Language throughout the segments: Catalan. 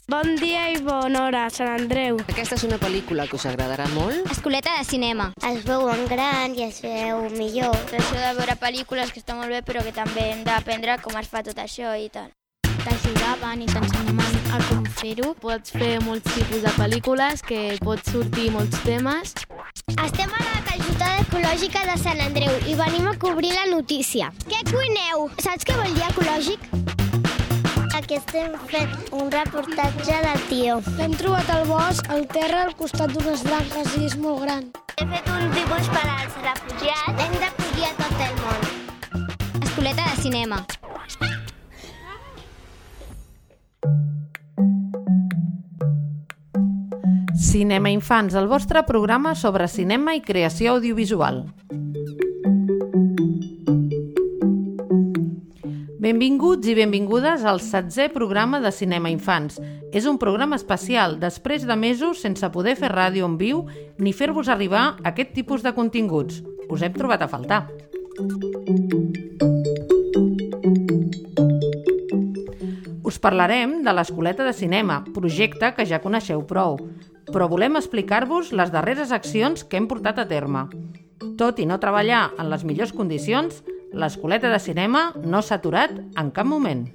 Bon dia i bona hora, Sant Andreu. Aquesta és una pel·lícula que us agradarà molt. Escoleta de cinema. Es veu en gran i es veu millor. Això de veure pel·lícules que està molt bé, però que també hem d'aprendre com es fa tot això i tal. T'ajudaven i t'ensenyaven a com fer-ho. Pots fer molts tipus de pel·lícules, que pots sortir molts temes. Estem a la calçotada ecològica de Sant Andreu i venim a cobrir la notícia. Què cuineu? Saps què vol dir ecològic? Aquí estem fent un reportatge de tio. L'hem trobat al bosc, al terra, al costat d'unes branques i és molt gran. He fet un dibuix per als refugiats. Hem de fugir a tot el món. Escoleta de cinema. Cinema Infants, el vostre programa sobre cinema i creació audiovisual. Benvinguts i benvingudes al 7è programa de Cinema Infants. És un programa especial després de mesos sense poder fer ràdio en viu ni fer-vos arribar aquest tipus de continguts. Us hem trobat a faltar. Us parlarem de l'Escoleta de Cinema, projecte que ja coneixeu prou, però volem explicar-vos les darreres accions que hem portat a terme. Tot i no treballar en les millors condicions, l'Escoleta de Cinema no s'ha aturat en cap moment.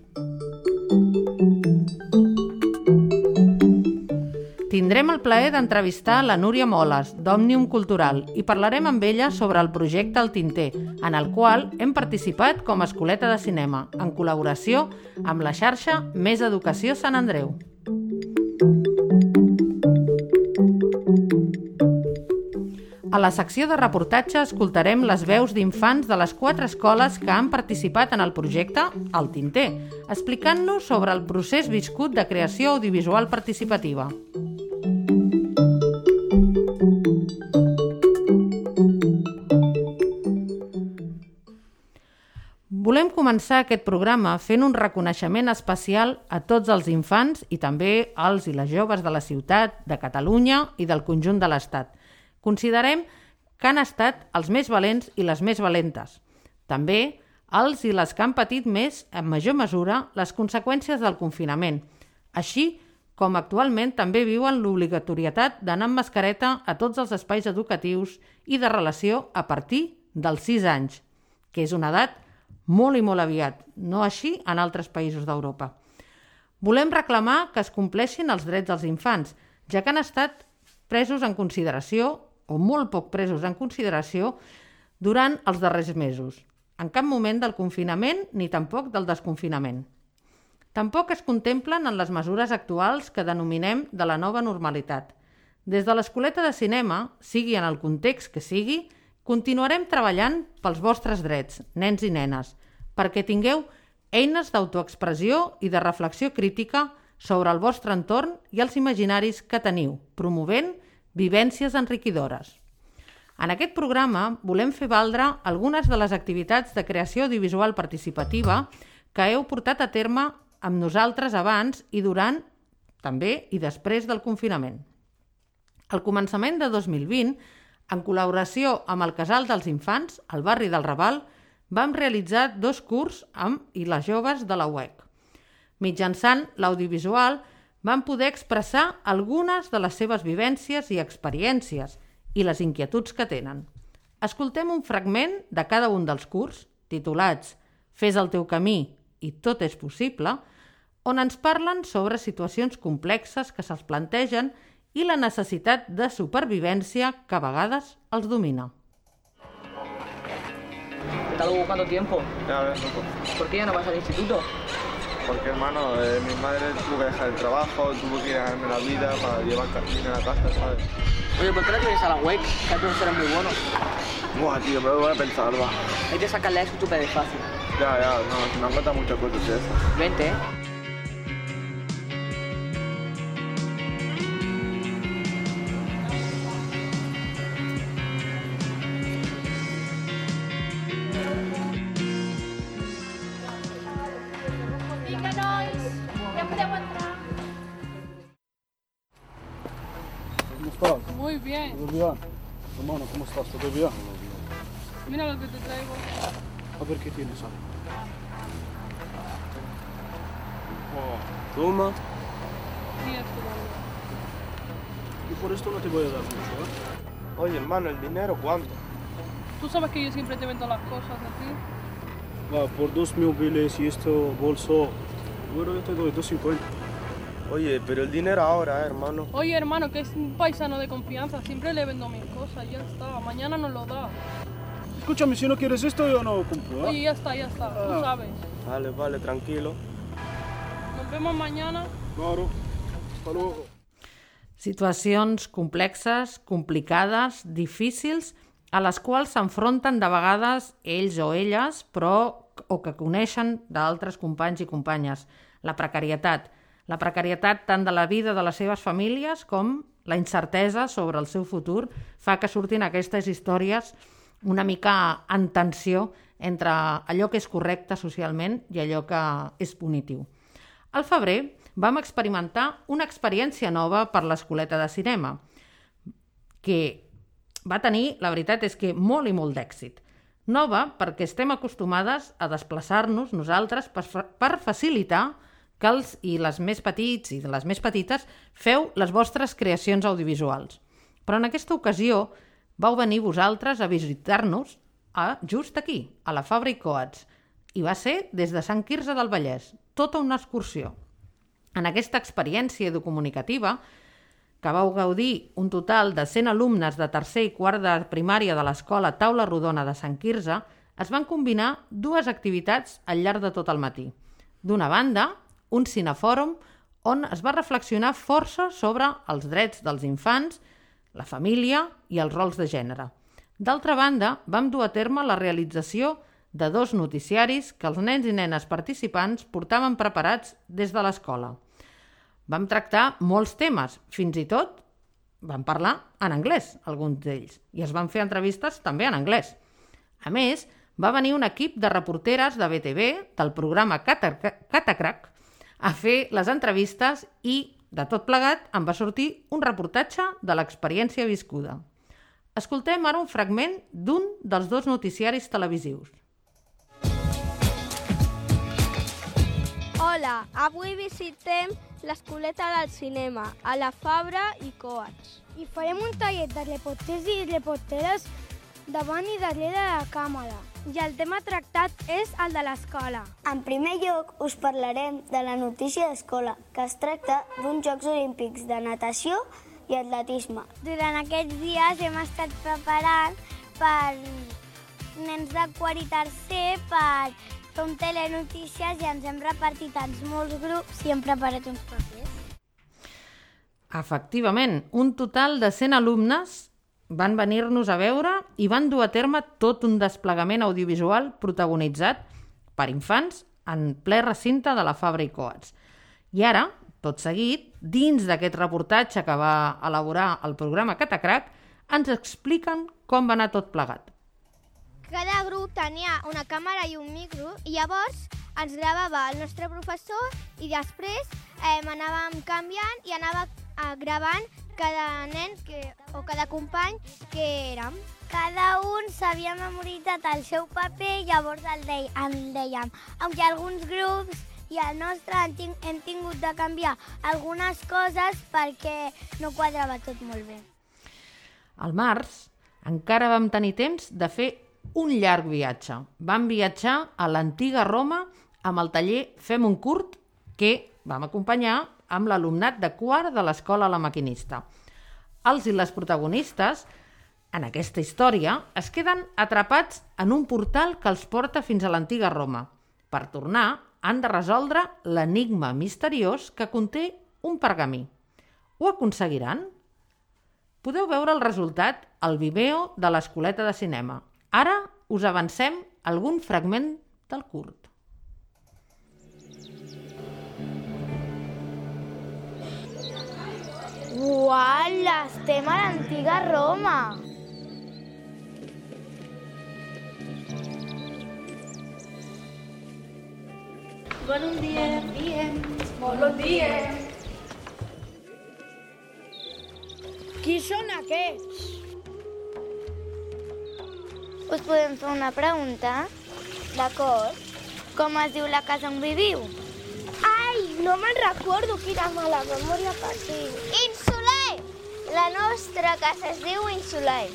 Tindrem el plaer d'entrevistar la Núria Moles, d'Òmnium Cultural, i parlarem amb ella sobre el projecte El Tinter, en el qual hem participat com a Escoleta de Cinema, en col·laboració amb la xarxa Més Educació Sant Andreu. A la secció de reportatge escoltarem les veus d'infants de les 4 escoles que han participat en el projecte El Tinter, explicant-nos sobre el procés viscut de creació audiovisual participativa. Volem començar aquest programa fent un reconeixement especial a tots els infants i també als i les joves de la ciutat, de Catalunya i del conjunt de l'Estat. Considerem que han estat els més valents i les més valentes. També els i les que han patit més, en major mesura, les conseqüències del confinament, així com actualment també viuen l'obligatorietat d'anar amb mascareta a tots els espais educatius i de relació a partir dels 6 anys, que és una edat molt i molt aviat, no així en altres països d'Europa. Volem reclamar que es compleixin els drets dels infants, ja que han estat presos en consideració o molt poc presos en consideració durant els darrers mesos. En cap moment del confinament ni tampoc del desconfinament. Tampoc es contemplen en les mesures actuals que denominem de la nova normalitat. Des de l'Escoleta de Cinema, sigui en el context que sigui, continuarem treballant pels vostres drets, nens i nenes, perquè tingueu eines d'autoexpressió i de reflexió crítica sobre el vostre entorn i els imaginaris que teniu, promovent vivències enriquidores. En aquest programa volem fer valdre algunes de les activitats de creació audiovisual participativa que heu portat a terme amb nosaltres abans i durant, també i després del confinament. Al començament de 2020, en col·laboració amb el Casal dels Infants, al barri del Raval, vam realitzar 2 cursos amb i les joves de la UEC. Mitjançant l'audiovisual, van poder expressar algunes de les seves vivències i experiències i les inquietuds que tenen. Escoltem un fragment de cada un dels cursos, titulats Fes el teu camí i tot és possible, on ens parlen sobre situacions complexes que se'ls plantegen i la necessitat de supervivència que a vegades els domina. ¿Te está buscando tiempo? Ya ves, loco. ¿Por qué ya no vas al instituto? Porque, hermano, mi madre tuvo que dejar el trabajo, tuvo que ir a ganarme la vida para llevar dinero a casa, ¿sabes? Oye, ¿por qué no te vienes a la UEC? Que hay profesores muy buenos. Buah, tío, pero voy a pensar, va. Hay que sacarle eso súper fácil. Ya, no, me han contado muchas cosas de eso. Vente, ¿Cómo estás? Muy bien. ¿Todo bien? Hermano, ¿cómo estás? ¿Todo bien? Mira lo que te traigo. A ver qué tienes ahí. Toma. seguir estudiando. Y por esto no te voy a dar mucho, ¿eh? Oye, hermano, ¿el dinero cuánto? Tú sabes que yo siempre te vendo las cosas a ti. Va, por 2 móviles y esto, bolso, bueno, yo te doy 2.50. Oye, pero el dinero ahora, hermano. Oye, hermano, que es un paisano de confianza. Siempre le vendo mis cosas, ya está. Mañana nos lo da. Escúchame, si no quieres esto, yo no compro, ¿eh? Oye, ya está, tú sabes. Vale, tranquilo. Nos vemos mañana. Claro, hasta luego. Situacions complexes, complicades, difícils, a les quals s'enfronten de vegades ells o elles, però o que coneixen d'altres companys i companyes. La precarietat tant de la vida de les seves famílies com la incertesa sobre el seu futur fa que surtin aquestes històries una mica en tensió entre allò que és correcte socialment i allò que és punitiu. Al febrer vam experimentar una experiència nova per l'Escoleta de Cinema, que va tenir, la veritat és que molt i molt d'èxit. Nova perquè estem acostumades a desplaçar-nos nosaltres per facilitar que els i les més petits i les més petites feu les vostres creacions audiovisuals. Però en aquesta ocasió vau venir vosaltres a visitar-nos just aquí, a la Fabra i Coats, i va ser des de Sant Quirze del Vallès, tota una excursió. En aquesta experiència educomunicativa, que vau gaudir un total de 100 alumnes de tercer i quart de primària de l'Escola Taula Rodona de Sant Quirze, es van combinar dues activitats al llarg de tot el matí. D'una banda, un cinefòrum on es va reflexionar força sobre els drets dels infants, la família i els rols de gènere. D'altra banda, vam dur a terme la realització de 2 noticiaris que els nens i nenes participants portaven preparats des de l'escola. Vam tractar molts temes, fins i tot vam parlar en anglès, alguns d'ells, i es van fer entrevistes també en anglès. A més, va venir un equip de reporteres de BTV, del programa Catacrac, a fer les entrevistes i, de tot plegat, en va sortir un reportatge de l'experiència viscuda. Escoltem ara un fragment d'un dels 2 noticiaris televisius. Hola, avui visitem l'Escoleta del Cinema, a la Fabra i Coats. I farem un tallet de reporters i reporteres davant i darrere de la càmera. I el tema tractat és el de l'escola. En primer lloc, us parlarem de la notícia d'escola, que es tracta d'uns Jocs Olímpics de natació i atletisme. Durant aquests dies hem estat preparant per nens de quart i tercer per fer un telenotícies i ens hem repartit en molts grups i hem preparat uns papers. Efectivament, un total de 100 alumnes van venir-nos a veure i van dur a terme tot un desplegament audiovisual protagonitzat per infants en ple recinte de la Fabra i Coats. I ara, tot seguit, dins d'aquest reportatge que va elaborar el programa Catacrac, ens expliquen com va anar tot plegat. Cada grup tenia una càmera i un micro i llavors ens gravava el nostre professor i després anàvem canviant i anava gravant cada nen o cada company que érem. Cada un s'havia memoritzat el seu paper i llavors el dèiem. Aunque alguns grups i el nostre hem tingut de canviar algunes coses perquè no quadrava tot molt bé. Al març encara vam tenir temps de fer un llarg viatge. Vam viatjar a l'antiga Roma amb el taller Fem un curt que vam acompanyar amb l'alumnat de quart de l'Escola La Maquinista. Els i les protagonistes, en aquesta història, es queden atrapats en un portal que els porta fins a l'antiga Roma. Per tornar, han de resoldre l'enigma misteriós que conté un pergamí. Ho aconseguiran? Podeu veure el resultat al Vimeo de l'Escoleta de Cinema. Ara us avancem algun fragment del curt. Uala, estem a l'antiga Roma. Bon dia. Molt bon dia. Qui són aquests? Us podem fer una pregunta? D'acord. Com es diu la casa on viviu? Ai, No me'n recordo, quina mala memòria que tinc. Insoler! La nostra casa es diu Insoler.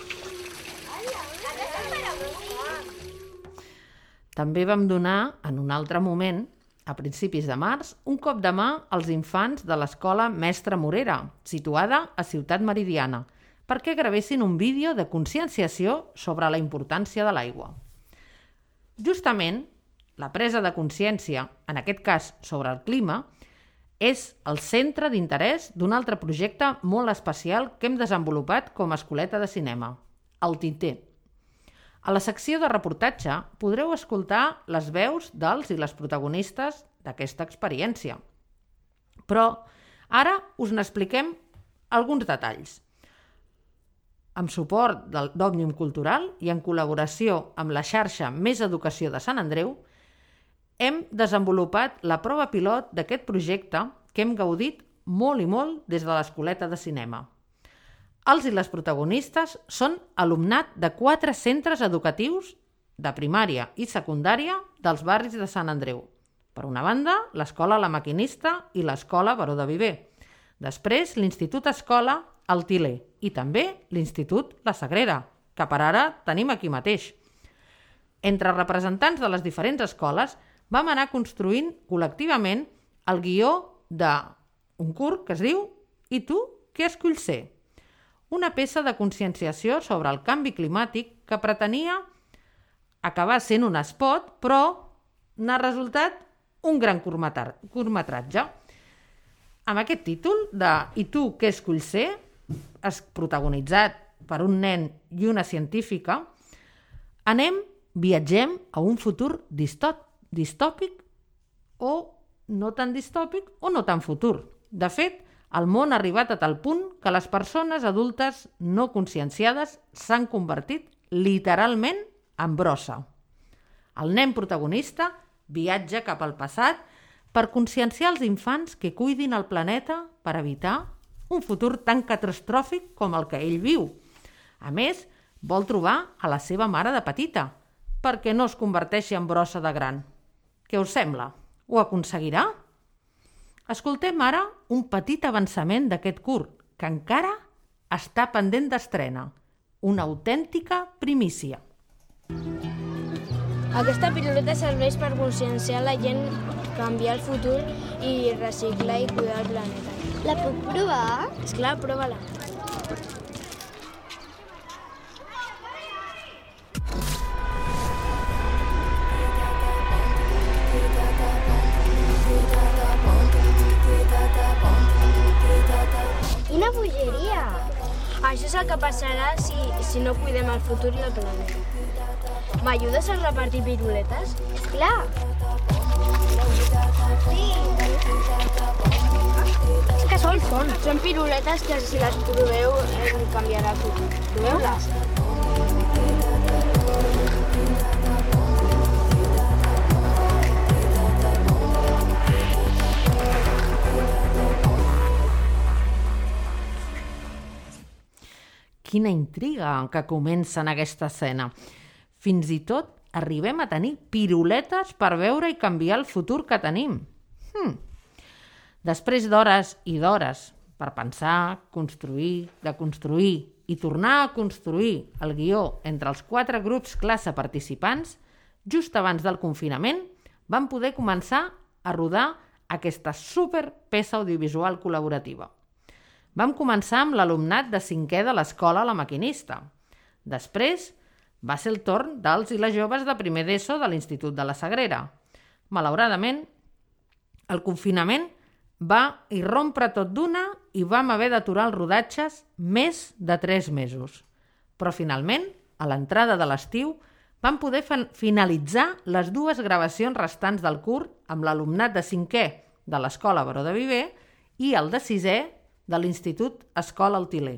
També vam donar, en un altre moment, a principis de març, un cop de mà als infants de l'escola Mestre Morera, situada a Ciutat Meridiana, perquè gravessin un vídeo de conscienciació sobre la importància de l'aigua. Justament, la presa de consciència, en aquest cas sobre el clima, és el centre d'interès d'un altre projecte molt especial que hem desenvolupat com a escoleta de cinema, el Tinter. A la secció de reportatge podreu escoltar les veus dels i les protagonistes d'aquesta experiència. Però ara us n'expliquem alguns detalls. Amb suport d'Òmnium Cultural i en col·laboració amb la xarxa Més Educació de Sant Andreu, hem desenvolupat la prova pilot d'aquest projecte que hem gaudit molt i molt des de l'escoleta de cinema. Els i les protagonistes són alumnat de 4 centres educatius de primària i secundària dels barris de Sant Andreu. Per una banda, l'Escola La Maquinista i l'Escola Baró de Viver. Després, l'Institut Escola El Til·ler i també l'Institut La Sagrera, que per ara tenim aquí mateix. Entre representants de les diferents escoles vam anar construint col·lectivament el guió d'un curt que es diu «I tu què esculls ser?», una peça de conscienciació sobre el canvi climàtic que pretenia acabar sent un espot, però n'ha resultat un gran curtmetratge. Amb aquest títol de «I tu què esculls ser?», protagonitzat per un nen i una científica, viatgem a un futur distòpic o no tan distòpic o no tan futur. De fet, el món ha arribat a tal punt que les persones adultes no conscienciades s'han convertit literalment en brossa. El nen protagonista viatja cap al passat per conscienciar els infants que cuidin el planeta per evitar un futur tan catastròfic com el que ell viu. A més, vol trobar a la seva mare de petita perquè no es converteixi en brossa de gran. Què us sembla? Ho aconseguirà? Escoltem ara un petit avançament d'aquest curt, que encara està pendent d'estrena. Una autèntica primícia. Aquesta pilota serveix per conscienciar la gent, canviar el futur i reciclar i cuidar el planeta. La puc provar? Esclar, prova-la. Quina bogeria! Això és el que passarà si no cuidem el futur i el planeta. M'ajudes a repartir piruletes? Esclar! Sí! Què són? Són piruletes que si les proveu canviarà el futur. Proveu-les? Quina intriga que comença en aquesta escena. Fins i tot arribem a tenir piruletes per veure i canviar el futur que tenim. Després d'hores i d'hores per pensar, construir, deconstruir i tornar a construir el guió entre els 4 grups classe participants, just abans del confinament vam poder començar a rodar aquesta superpeça audiovisual col·laborativa. Vam començar amb l'alumnat de 5è de l'escola La Maquinista. Després va ser el torn dels i les joves de primer d'ESO de l'Institut de la Sagrera. Malauradament, el confinament va irrompre tot d'una i vam haver d'aturar els rodatges més de 3 mesos. Però finalment, a l'entrada de l'estiu, vam poder finalitzar les 2 gravacions restants del curt amb l'alumnat de 5è de l'Escola Baró de Viver i el de 6è de l'Institut Escola El Til·ler.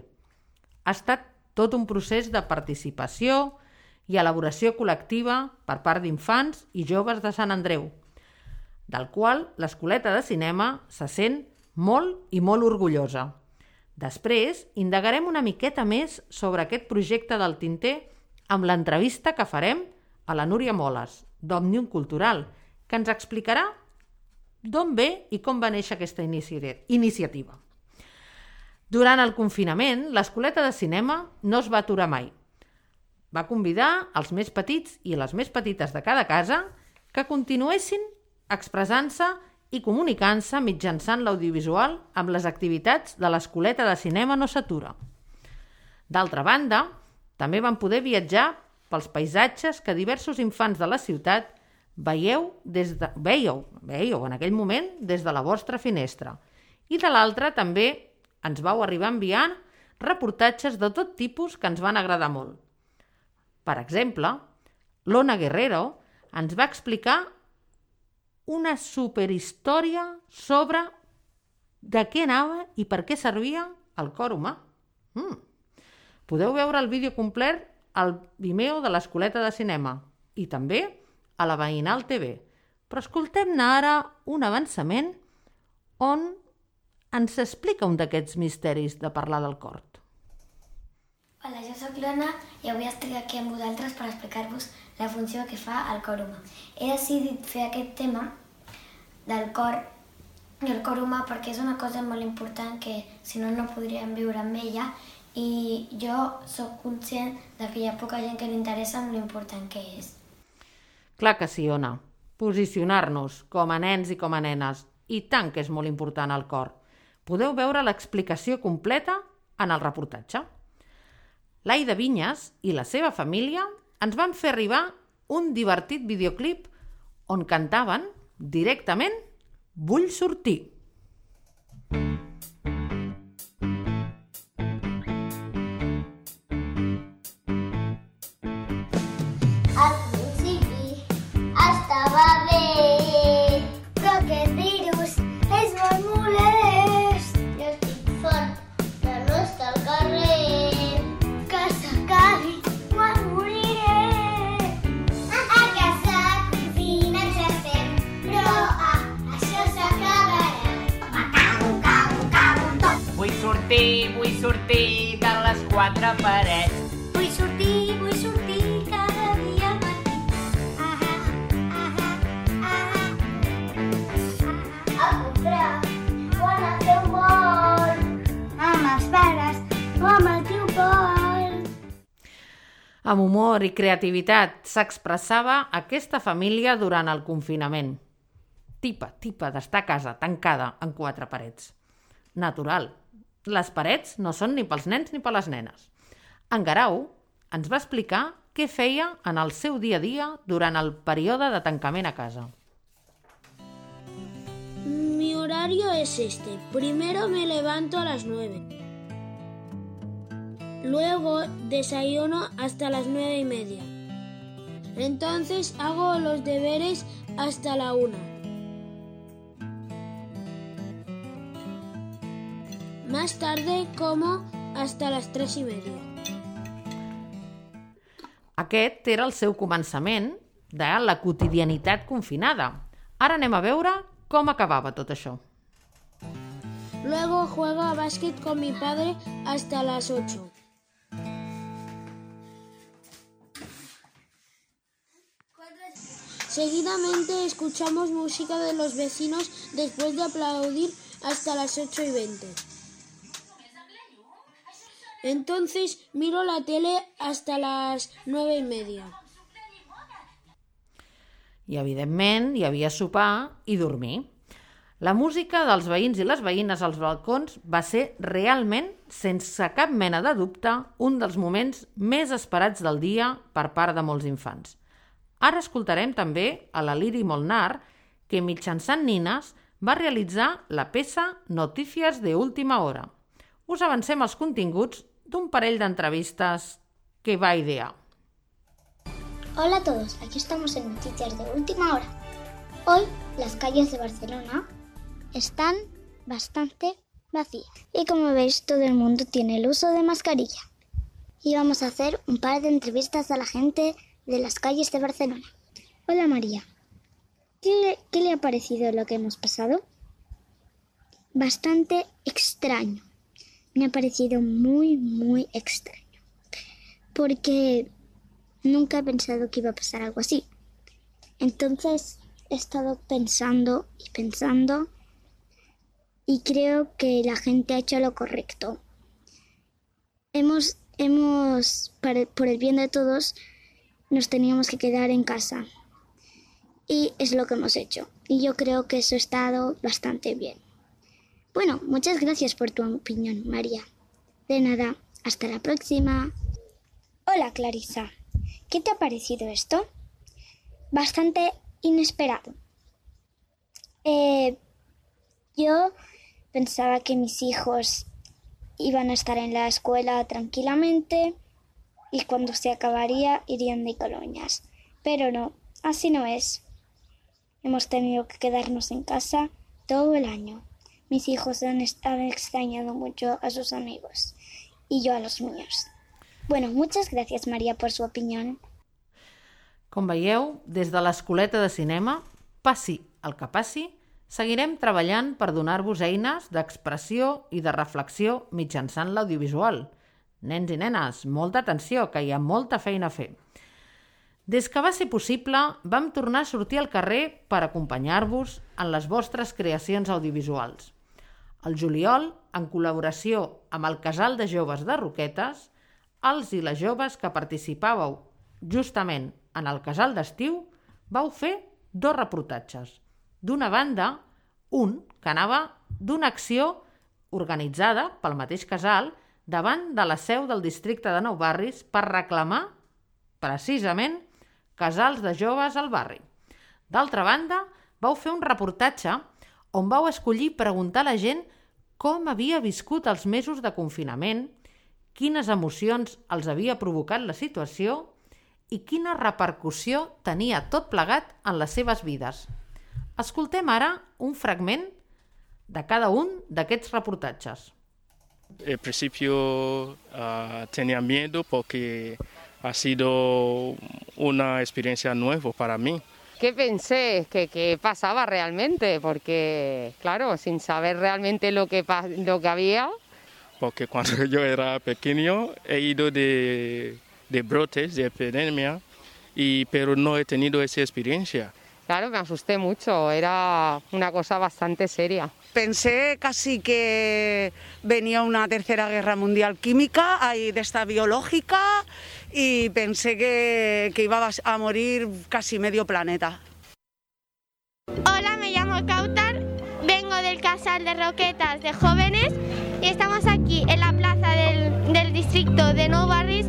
Ha estat tot un procés de participació i elaboració col·lectiva per part d'infants i joves de Sant Andreu, del qual l'escoleta de cinema se sent molt i molt orgullosa. Després, indagarem una miqueta més sobre aquest projecte del Tinter amb l'entrevista que farem a la Núria Moles, d'Òmnium Cultural, que ens explicarà d'on ve i com va néixer aquesta iniciativa. Durant el confinament, l'Escoleta de Cinema no es va aturar mai. Va convidar els més petits i les més petites de cada casa que continuessin expressant-se i comunicant-se mitjançant l'audiovisual amb les activitats de l'Escoleta de Cinema No s'atura. D'altra banda, també van poder viatjar pels paisatges que diversos infants de la ciutat veieu en aquell moment des de la vostra finestra. I de l'altra també ens vau arribar enviant reportatges de tot tipus que ens van agradar molt. Per exemple, l'Ona Guerrero ens va explicar una superhistòria sobre de què anava i per què servia el cor humà. Podeu veure el vídeo complet al Vimeo de l'Escoleta de Cinema i també a la Veïnal TV. Però escoltem-ne ara un avançament on ens explica un d'aquests misteris de parlar del cor. Hola, jo soc l'Ona i avui estic aquí amb vosaltres per explicar-vos la funció que fa el cor humà. He decidit fer aquest tema del cor i el cor humà perquè és una cosa molt important que si no, no podríem viure amb ella i jo sóc conscient de que hi ha poca gent que li interessa amb l'important que és. Clar que sí, Ona. Posicionar-nos com a nens i com a nenes. I tant que és molt important el cor. Podeu veure l'explicació completa en el reportatge. L'Aida Vinyes i la seva família ens van fer arribar un divertit videoclip on cantaven directament Vull sortir. Al principi estava bé, però aquest virus és molt molest. Jo estic fort de no estar al carrer, que s'acabi quan moriré. A casa confines estem, però això s'acabarà. Cago tot. Vull sortir de les quatre parets. Vull sortir cada dia al matí. A comprar o anar a fer un vol amb els pares o amb el tio Pol. Amb humor i creativitat s'expressava aquesta família durant el confinament. Tipa d'estar a casa, tancada en quatre parets. Natural. Les parets no són ni pels nens ni per les nenes. En Guerau ens va explicar què feia en el seu dia a dia durant el període de tancament a casa. Mi horario es este. Primero me levanto a las 9. Luego desayuno hasta las 9:30. Entonces hago los deberes hasta la 1. Más tarde como hasta las 3:30. Aquest era el seu començament de la quotidianitat confinada. Ara anem a veure com acabava tot això. Luego juego a básquet con mi padre hasta las 8. Seguidamente escuchamos música de los vecinos después de aplaudir hasta las 8:20. Entonces miro la tele hasta las 9:30. I, evidentment, hi havia sopar i dormir. La música dels veïns i les veïnes als balcons va ser realment, sense cap mena de dubte, un dels moments més esperats del dia per part de molts infants. Ara escoltarem també a la Liri Molnar, que mitjançant nines va realitzar la peça Noticias de última hora. Us avancem els continguts d'un parell d'entrevistes que va idear. Hola a todos, aquí estamos en Noticias de última hora. Hoy las calles de Barcelona están bastante vacías y como veis todo el mundo tiene el uso de mascarilla. Y vamos a hacer un par de entrevistas a la gente de las calles de Barcelona. Hola María, ¿qué le ha parecido lo que hemos pasado? Bastante extraño. Me ha parecido muy extraño, porque nunca he pensado que iba a pasar algo así. Entonces, he estado pensando y pensando y creo que la gente ha hecho lo correcto. Por el bien de todos, nos teníamos que quedar en casa. Y es lo que hemos hecho. Y yo creo que eso ha estado bastante bien. Bueno, muchas gracias por tu opinión, María. De nada, hasta la próxima. Hola, Clarisa. ¿Qué te ha parecido esto? Bastante inesperado. Yo pensaba que mis hijos iban a estar en la escuela tranquilamente y cuando se acabaría irían de colonias. Pero no, así no es. Hemos tenido que quedarnos en casa todo el año. Mis hijos han extrañado mucho a sus amigos y yo a los míos. Bueno, muchas gracias, María, por su opinión. Com veieu, des de l'Escoleta de Cinema, passi el que passi, seguirem treballant per donar-vos eines d'expressió i de reflexió mitjançant l'audiovisual. Nens i nenes, molta atenció, que hi ha molta feina a fer. Des que va ser possible, vam tornar a sortir al carrer per acompanyar-vos en les vostres creacions audiovisuals. Al juliol, en col·laboració amb el Casal de Joves de Roquetes, els i les joves que participàveu justament en el casal d'estiu, vau fer 2 reportatges. D'una banda, un que anava d'una acció organitzada pel mateix casal davant de la seu del districte de Nou Barris per reclamar, precisament, casals de joves al barri. D'altra banda, vau fer un reportatge on vau escollir preguntar a la gent com havia viscut els mesos de confinament, quines emocions els havia provocat la situació i quina repercussió tenia tot plegat en les seves vides. Escoltem ara un fragment de cada un d'aquests reportatges. Al principio tenía miedo porque ha sido una experiencia nueva para mí. ¿Qué pensé? ¿Qué pasaba realmente? Porque, claro, sin saber realmente lo que había. Porque cuando yo era pequeño he ido de brotes, de epidemia, pero no he tenido esa experiencia. Claro, me asusté mucho, era una cosa bastante seria. Pensé casi que venía una tercera guerra mundial química, de esta biológica, y pensé que iba a morir casi medio planeta. Hola, me llamo Kautar, vengo del Casal de Roquetas de Jóvenes y estamos aquí en la plaza del distrito de Nou Barris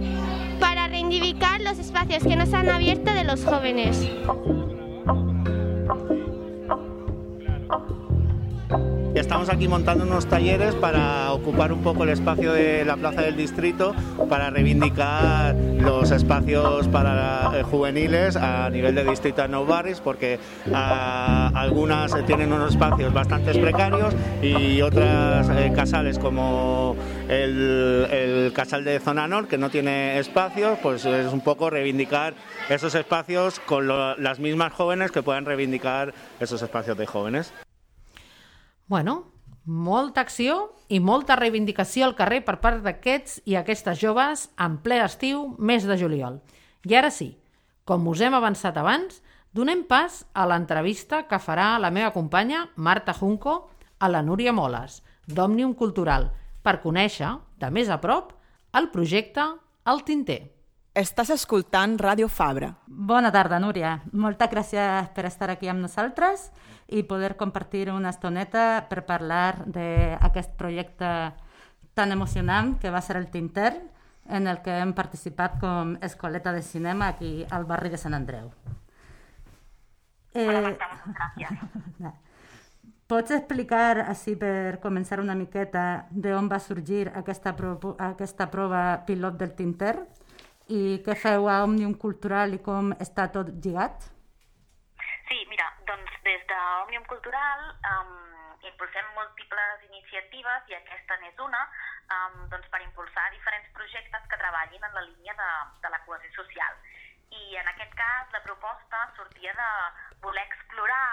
para reivindicar los espacios que nos han abierto de los jóvenes. Estamos aquí montando unos talleres para ocupar un poco el espacio de la plaza del distrito para reivindicar los espacios para juveniles a nivel de distrito de Nou Barris, porque algunas tienen unos espacios bastante precarios y otras casales como el casal de Zona Nord, que no tiene espacios, pues es un poco reivindicar esos espacios con las mismas jóvenes que puedan reivindicar esos espacios de jóvenes. Bueno, molta acció i molta reivindicació al carrer per part d'aquests i aquestes joves en ple estiu, mes de juliol. I ara sí, com us hem avançat abans, donem pas a l'entrevista que farà la meva companya Marta Junco a la Núria Moles, d'Òmnium Cultural, per conèixer, de més a prop, el projecte El Tinter. Estàs escoltant Ràdio Fabra. Bona tarda, Núria. Moltes gràcies per estar aquí amb nosaltres i poder compartir una estoneta per parlar d'aquest projecte tan emocionant que va ser el Tinter, en el que hem participat com Escoleta de Cinema aquí al barri de Sant Andreu. Pots explicar, així per començar una miqueta, d'on va sorgir aquesta prova pilot del Tinter i què feu a Òmnium Cultural i com està tot lligat? Sí, mira, doncs des d'Òmnium Cultural impulsem múltiples iniciatives i aquesta n'és una per impulsar diferents projectes que treballin en la línia de la cohesió social. I en aquest cas la proposta sortia de voler explorar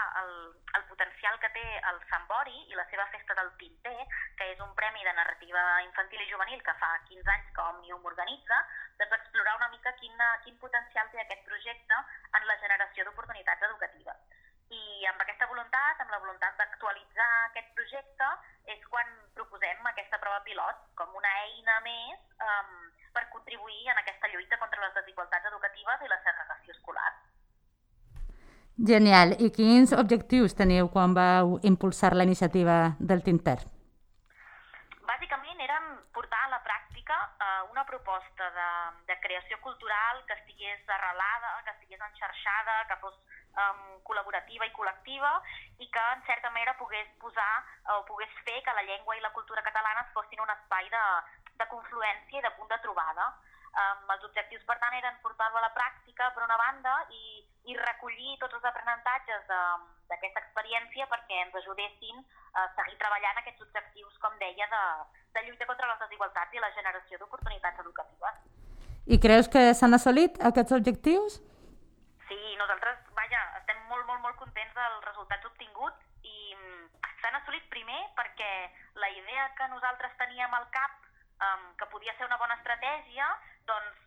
el potencial que té el Sant Bori i la seva festa del Tinter, que és un premi de narrativa infantil i juvenil que fa 15 anys que Òmnium organitza, doncs explorar una mica quin potencial té aquest projecte en la generació d'oportunitats educatives. I amb aquesta voluntat, amb la voluntat d'actualitzar aquest projecte, és quan proposem aquesta prova pilot com una eina més per contribuir en aquesta lluita contra les desigualtats educatives i la segregació escolar. Genial. I quins objectius teniu quan vau impulsar la iniciativa del Tinter? Bàsicament eren portar a la pràctica una proposta de creació cultural que estigués arrelada, que estigués enxarxada, que fos col·laborativa i col·lectiva i que en certa manera pogués posar o pogués fer que la llengua i la cultura catalanes fossin un espai de confluència i de punt de trobada. Els objectius, per tant, eren portar-lo a la pràctica, per una banda, i recollir tots els aprenentatges d'aquesta experiència perquè ens ajudessin a seguir treballant aquests objectius, com deia, de lluita contra les desigualtats i la generació d'oportunitats educatives. I creus que s'han assolit aquests objectius? Sí, nosaltres, estem molt contents dels resultats obtinguts i s'han assolit primer perquè la idea que nosaltres teníem al cap, que podia ser una bona estratègia, doncs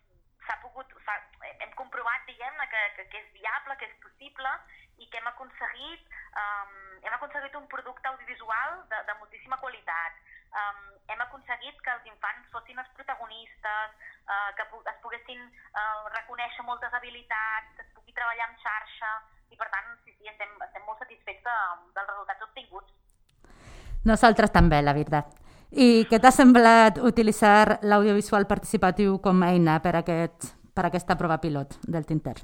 hem comprovat, diguem-ne, que és viable, que és possible i que hem aconseguit un producte audiovisual de moltíssima qualitat. Hem aconseguit que els infants fossin els protagonistes, que es poguessin reconèixer moltes habilitats, que es pugui treballar en xarxa i, per tant, sí, estem molt satisfets dels resultats obtinguts. Nosaltres també, la veritat. I què t'ha semblat utilitzar l'audiovisual participatiu com a eina per aquesta prova pilot del Tinter?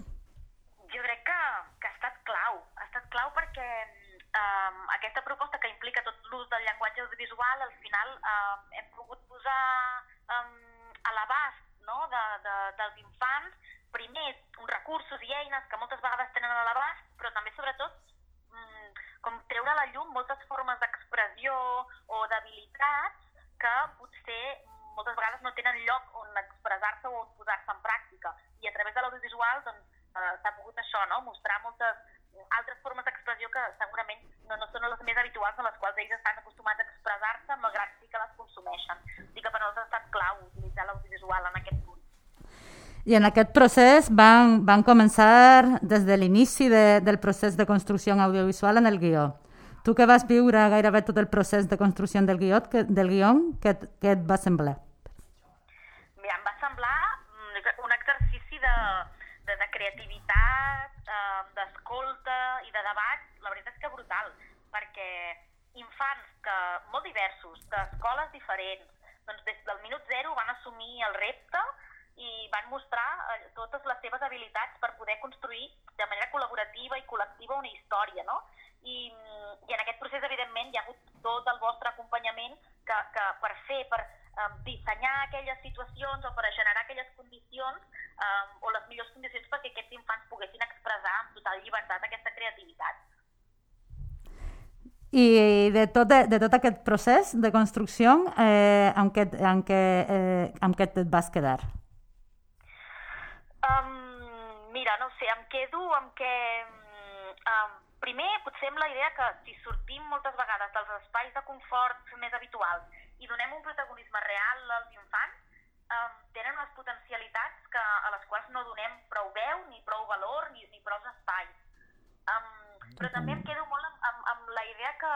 Jo crec que ha estat clau. Ha estat clau perquè aquesta proposta que implica tot l'ús del llenguatge audiovisual, al final hem pogut posar a l'abast dels infants, primer, uns recursos i eines que moltes vegades tenen a l'abast, però també, sobretot, com treure a la llum moltes formes d'expressió o d'habilitats que potser moltes vegades no tenen lloc on expressar-se o on posar-se en pràctica. I a través de l'audiovisual s'ha pogut això, mostrar moltes altres formes d'expressió que segurament no són les més habituals a les quals ells estan acostumats a expressar-se, malgrat sí que les consumeixen. Dic que per nosaltres ha estat clau utilitzar l'audiovisual en aquest punt. I en aquest procés van començar des de l'inici del procés de construcció audiovisual en el guió. Tu que vas viure gairebé tot el procés de construcció del guió, què et va semblar? Mira, em va semblar un exercici de creativitat, d'escolta i de debat, la veritat és que brutal, perquè infants molt diversos, d'escoles diferents, doncs des del minut zero van assumir el repte i van mostrar totes les seves habilitats per poder construir de manera col·laborativa i col·lectiva una història, no? I en aquest procés, evidentment, hi ha hagut tot el vostre acompanyament que per dissenyar aquelles situacions o per generar aquelles condicions o les millors condicions perquè aquests infants poguessin expressar amb total llibertat aquesta creativitat. I de tot aquest procés de construcció, amb què et vas quedar? Mira, no sé, em quedo amb que... Primer, potser amb la idea que si sortim moltes vegades dels espais de confort més habituals i donem un protagonisme real als infants, tenen unes potencialitats a les quals no donem prou veu, ni prou valor, ni prou espais. Però també em quedo molt amb la idea que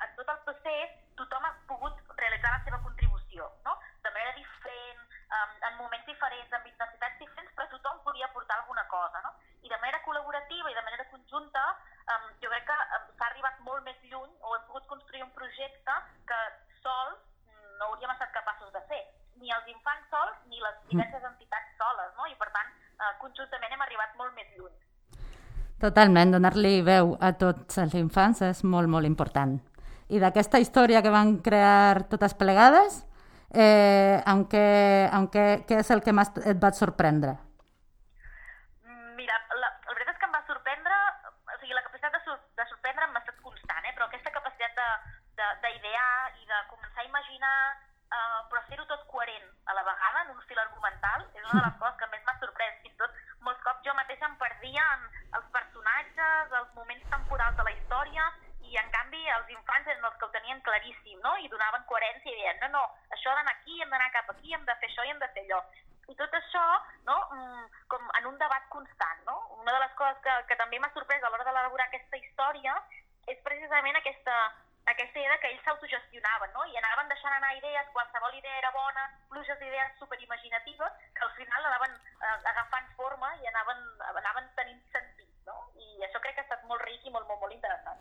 en tot el procés tothom ha pogut realitzar la seva contribució, no? De manera diferent, en moments diferents, amb intensitats diferents, però tothom podia aportar alguna cosa, no? I de manera col·laborativa i de manera conjunta, jo crec que s'ha arribat molt més lluny o hem pogut construir un projecte que sols no hauríem estat capaços de fer, ni els infants sols ni les diverses entitats soles, no? I per tant, conjuntament hem arribat molt més lluny. Totalment, donar-li veu a tots els infants és molt, molt important. I d'aquesta història que van crear totes plegades, què és el que més et va sorprendre? Mira, la veritat és que em va sorprendre, o sigui, la capacitat de sorprendre m'ha estat constant, però aquesta capacitat d'idear i de començar a imaginar, però fer-ho tot coherent a la vegada, en un fil argumental, és una de les coses que més m'ha sorprès. Fins i tot, molts cops jo mateixa em perdia en els personatges, els moments temporals de la història, i en canvi els infants eren els que ho tenien claríssim, no? I donaven coherència i deien, no, això ha d'anar aquí, hem d'anar cap aquí, hem de fer això i hem de fer allò. I tot això, no? Com en un debat constant, no? Una de les coses que també m'ha sorprès a l'hora d'elaborar aquesta història és precisament aquesta idea que ells s'autogestionaven, no? I anaven deixant anar idees, qualsevol idea era bona, pluges d'idees superimaginatives, que al final anaven agafant forma i anaven tenint sentit, no? I això crec que ha estat molt ric i molt interessant.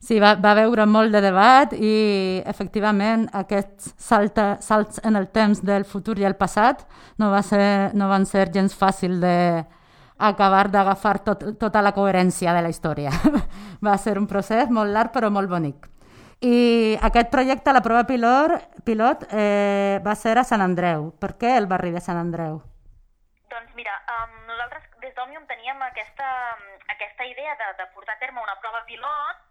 Sí, va haver molt de debat i, efectivament, aquests salts en el temps del futur i el passat no van ser gens fàcil d'acabar d'agafar tota la coherència de la història. Va ser un procés molt llarg però molt bonic. I aquest projecte, la prova pilot, va ser a Sant Andreu. Per què el barri de Sant Andreu? Doncs mira, nosaltres des d'Òmnium teníem aquesta idea de portar a terme una prova pilot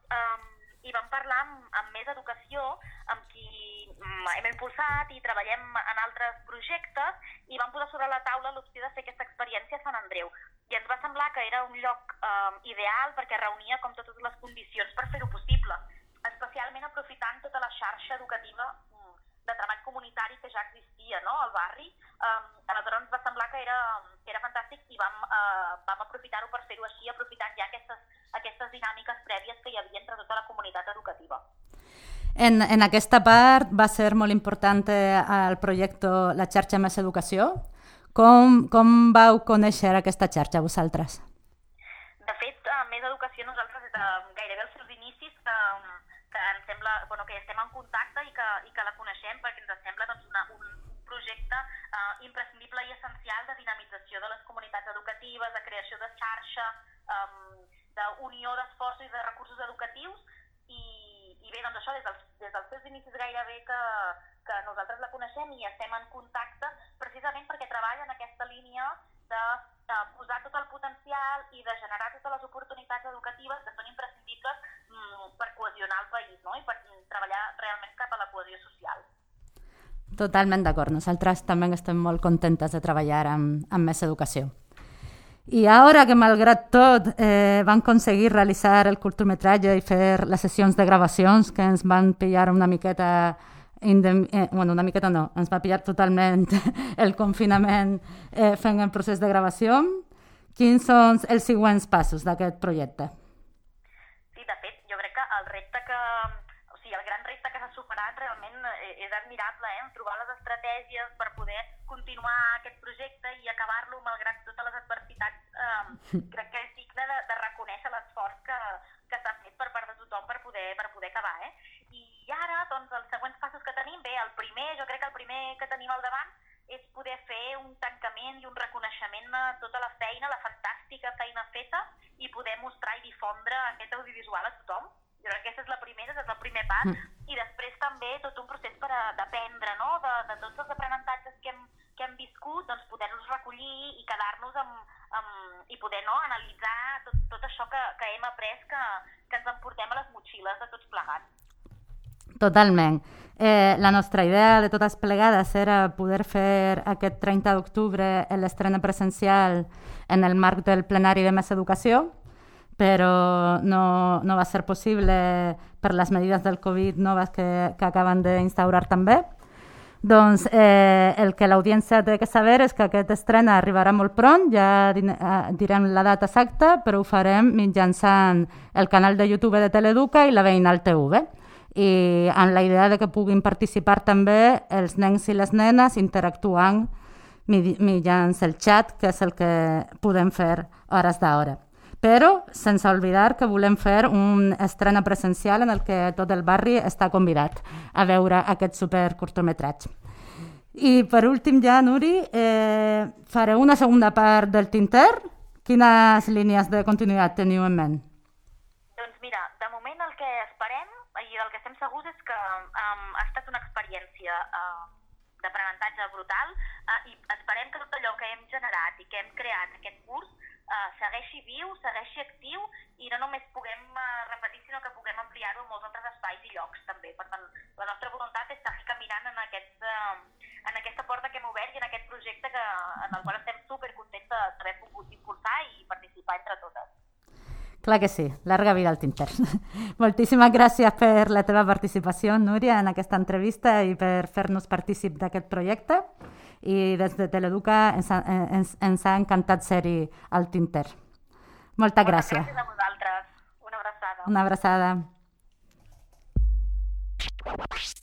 i vam parlar amb Més Educació, amb qui hem impulsat i treballem en altres projectes, i vam posar sobre la taula l'opció de fer aquesta experiència a Sant Andreu. I ens va semblar que era un lloc ideal perquè reunia com totes les condicions per fer-ho possible, especialment aprofitant tota la xarxa educativa de treball comunitari que ja existia, no?, al barri. Aleshores ens va semblar que era fantàstic i vam aprofitar-ho per fer-ho així, aprofitant ja aquestes dinàmiques prèvies que hi havia entre tota la comunitat educativa. En aquesta part va ser molt important el projecte La xarxa Més Educació. Com vau conèixer aquesta xarxa vosaltres? De fet, Més Educació nosaltres gairebé els seus inicis que ens sembla que estem en contacte i que la coneixem perquè ens sembla un projecte imprescindible i essencial de dinamització de les comunitats educatives, de creació de xarxa, d'unió d'esforços i de recursos educatius i bé, doncs això, des dels seus inicis gairebé que nosaltres la coneixem i estem en contacte precisament perquè treballa en aquesta línia de posar tot el potencial i de generar totes les oportunitats educatives que són imprescindibles per cohesionar el país, no?, i per treballar realment cap a la cohesió social. Totalment d'acord. Nosaltres també estem molt contentes de treballar amb Més Educació. I ara que, malgrat tot, van aconseguir realitzar el curtmetratge i fer les sessions de gravacions que ens van pillar una miqueta... una miqueta no, ens va pillar totalment el confinament fent el procés de gravació. Quins són els següents passos d'aquest projecte? Sí, de fet, jo crec que el gran repte que s'ha superat realment és admirable, trobar les estratègies per poder continuar aquest projecte i acabar-lo malgrat totes les adversitats. Crec que és digne de reconèixer l'esforç que s'ha fet per part de tothom per poder acabar. I ara, doncs, els següents passos que tenim, jo crec que el primer que tenim al davant és poder fer un tancament i un reconeixement a tota la feina, la fantàstica feina feta, i poder mostrar i difondre aquest audiovisual a tothom. Jo crec que aquest és el primer pas, i després també tot un procés per aprendre, no?, de tots els aprenentatges que hem viscut, doncs poder-los recollir i quedar-nos i poder analitzar tot això que hem après, que ens emportem a les motxilles de tots plegats. Totalment. La nostra idea de totes plegades era poder fer aquest 30 d'octubre l'estrena presencial en el marc del plenari de Més Educació, però no va ser possible per les medides del Covid noves que acaben d'instaurar també. Doncs el que l'audiència té que saber és que aquest estrena arribarà molt pront, ja direm la data exacta, però ho farem mitjançant el canal de YouTube de Teleeduca i la Veïnal TV, i amb la idea de que puguin participar també els nens i les nenes interactuant mitjançant el xat, que és el que podem fer hores d'hora. Però sense oblidar que volem fer un estrena presencial en el que tot el barri està convidat a veure aquest supercurtmetratge. I per últim ja, Nuri, fareu una segona part del Tinter. Quines línies de continuïtat teniu en ment? Doncs mira, de moment el que esperem i del que estem segurs és que ha estat una experiència d'aprenentatge brutal i esperem que tot allò que hem generat i que hem creat aquest curs segueixi viu, segueixi actiu i no només puguem repetir, sinó que puguem ampliar-ho en molts altres espais i llocs també. Per tant, la nostra voluntat és seguir caminant en aquesta porta que hem obert i en aquest projecte en el qual estem supercontents d'haver pogut impulsar i participar entre totes. Clar que sí, larga vida al Tinter. Moltíssimes gràcies per la teva participació, Núria, en aquesta entrevista i per fer-nos partícip d'aquest projecte. i des de Teleeduca ens ha encantat ser-hi al Tinter. Moltes gràcies. Gràcies a vosaltres. Una abraçada. Una abraçada.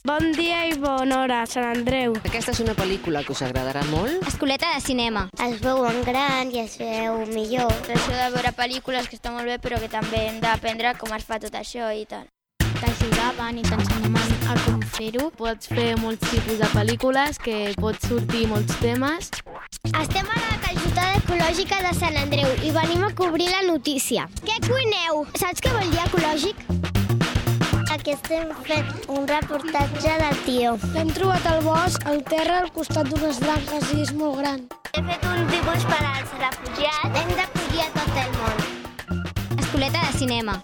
Bon dia i bona hora, Sant Andreu. Aquesta és una pel·lícula que us agradarà molt. Escoleta de cinema. Es veu en gran i es veu millor. Això de veure pel·lícules que està molt bé, però que també hem d'aprendre com es fa tot això i tal. T'ajudaven i t'ensenyaven a com fer-ho. Pots fer molts tipus de pel·lícules, que pots sortir molts temes. Estem a la Cajutada Ecològica de Sant Andreu i venim a cobrir la notícia. Què cuineu? Saps què vol dir ecològic? Aquí estem fent un reportatge del tió. L'hem trobat al bosc, al terra, al costat d'unes branques i és molt gran. He fet un dibuix per als refugiats. Hem d'acollir a tot el món. Escoleta de cinema.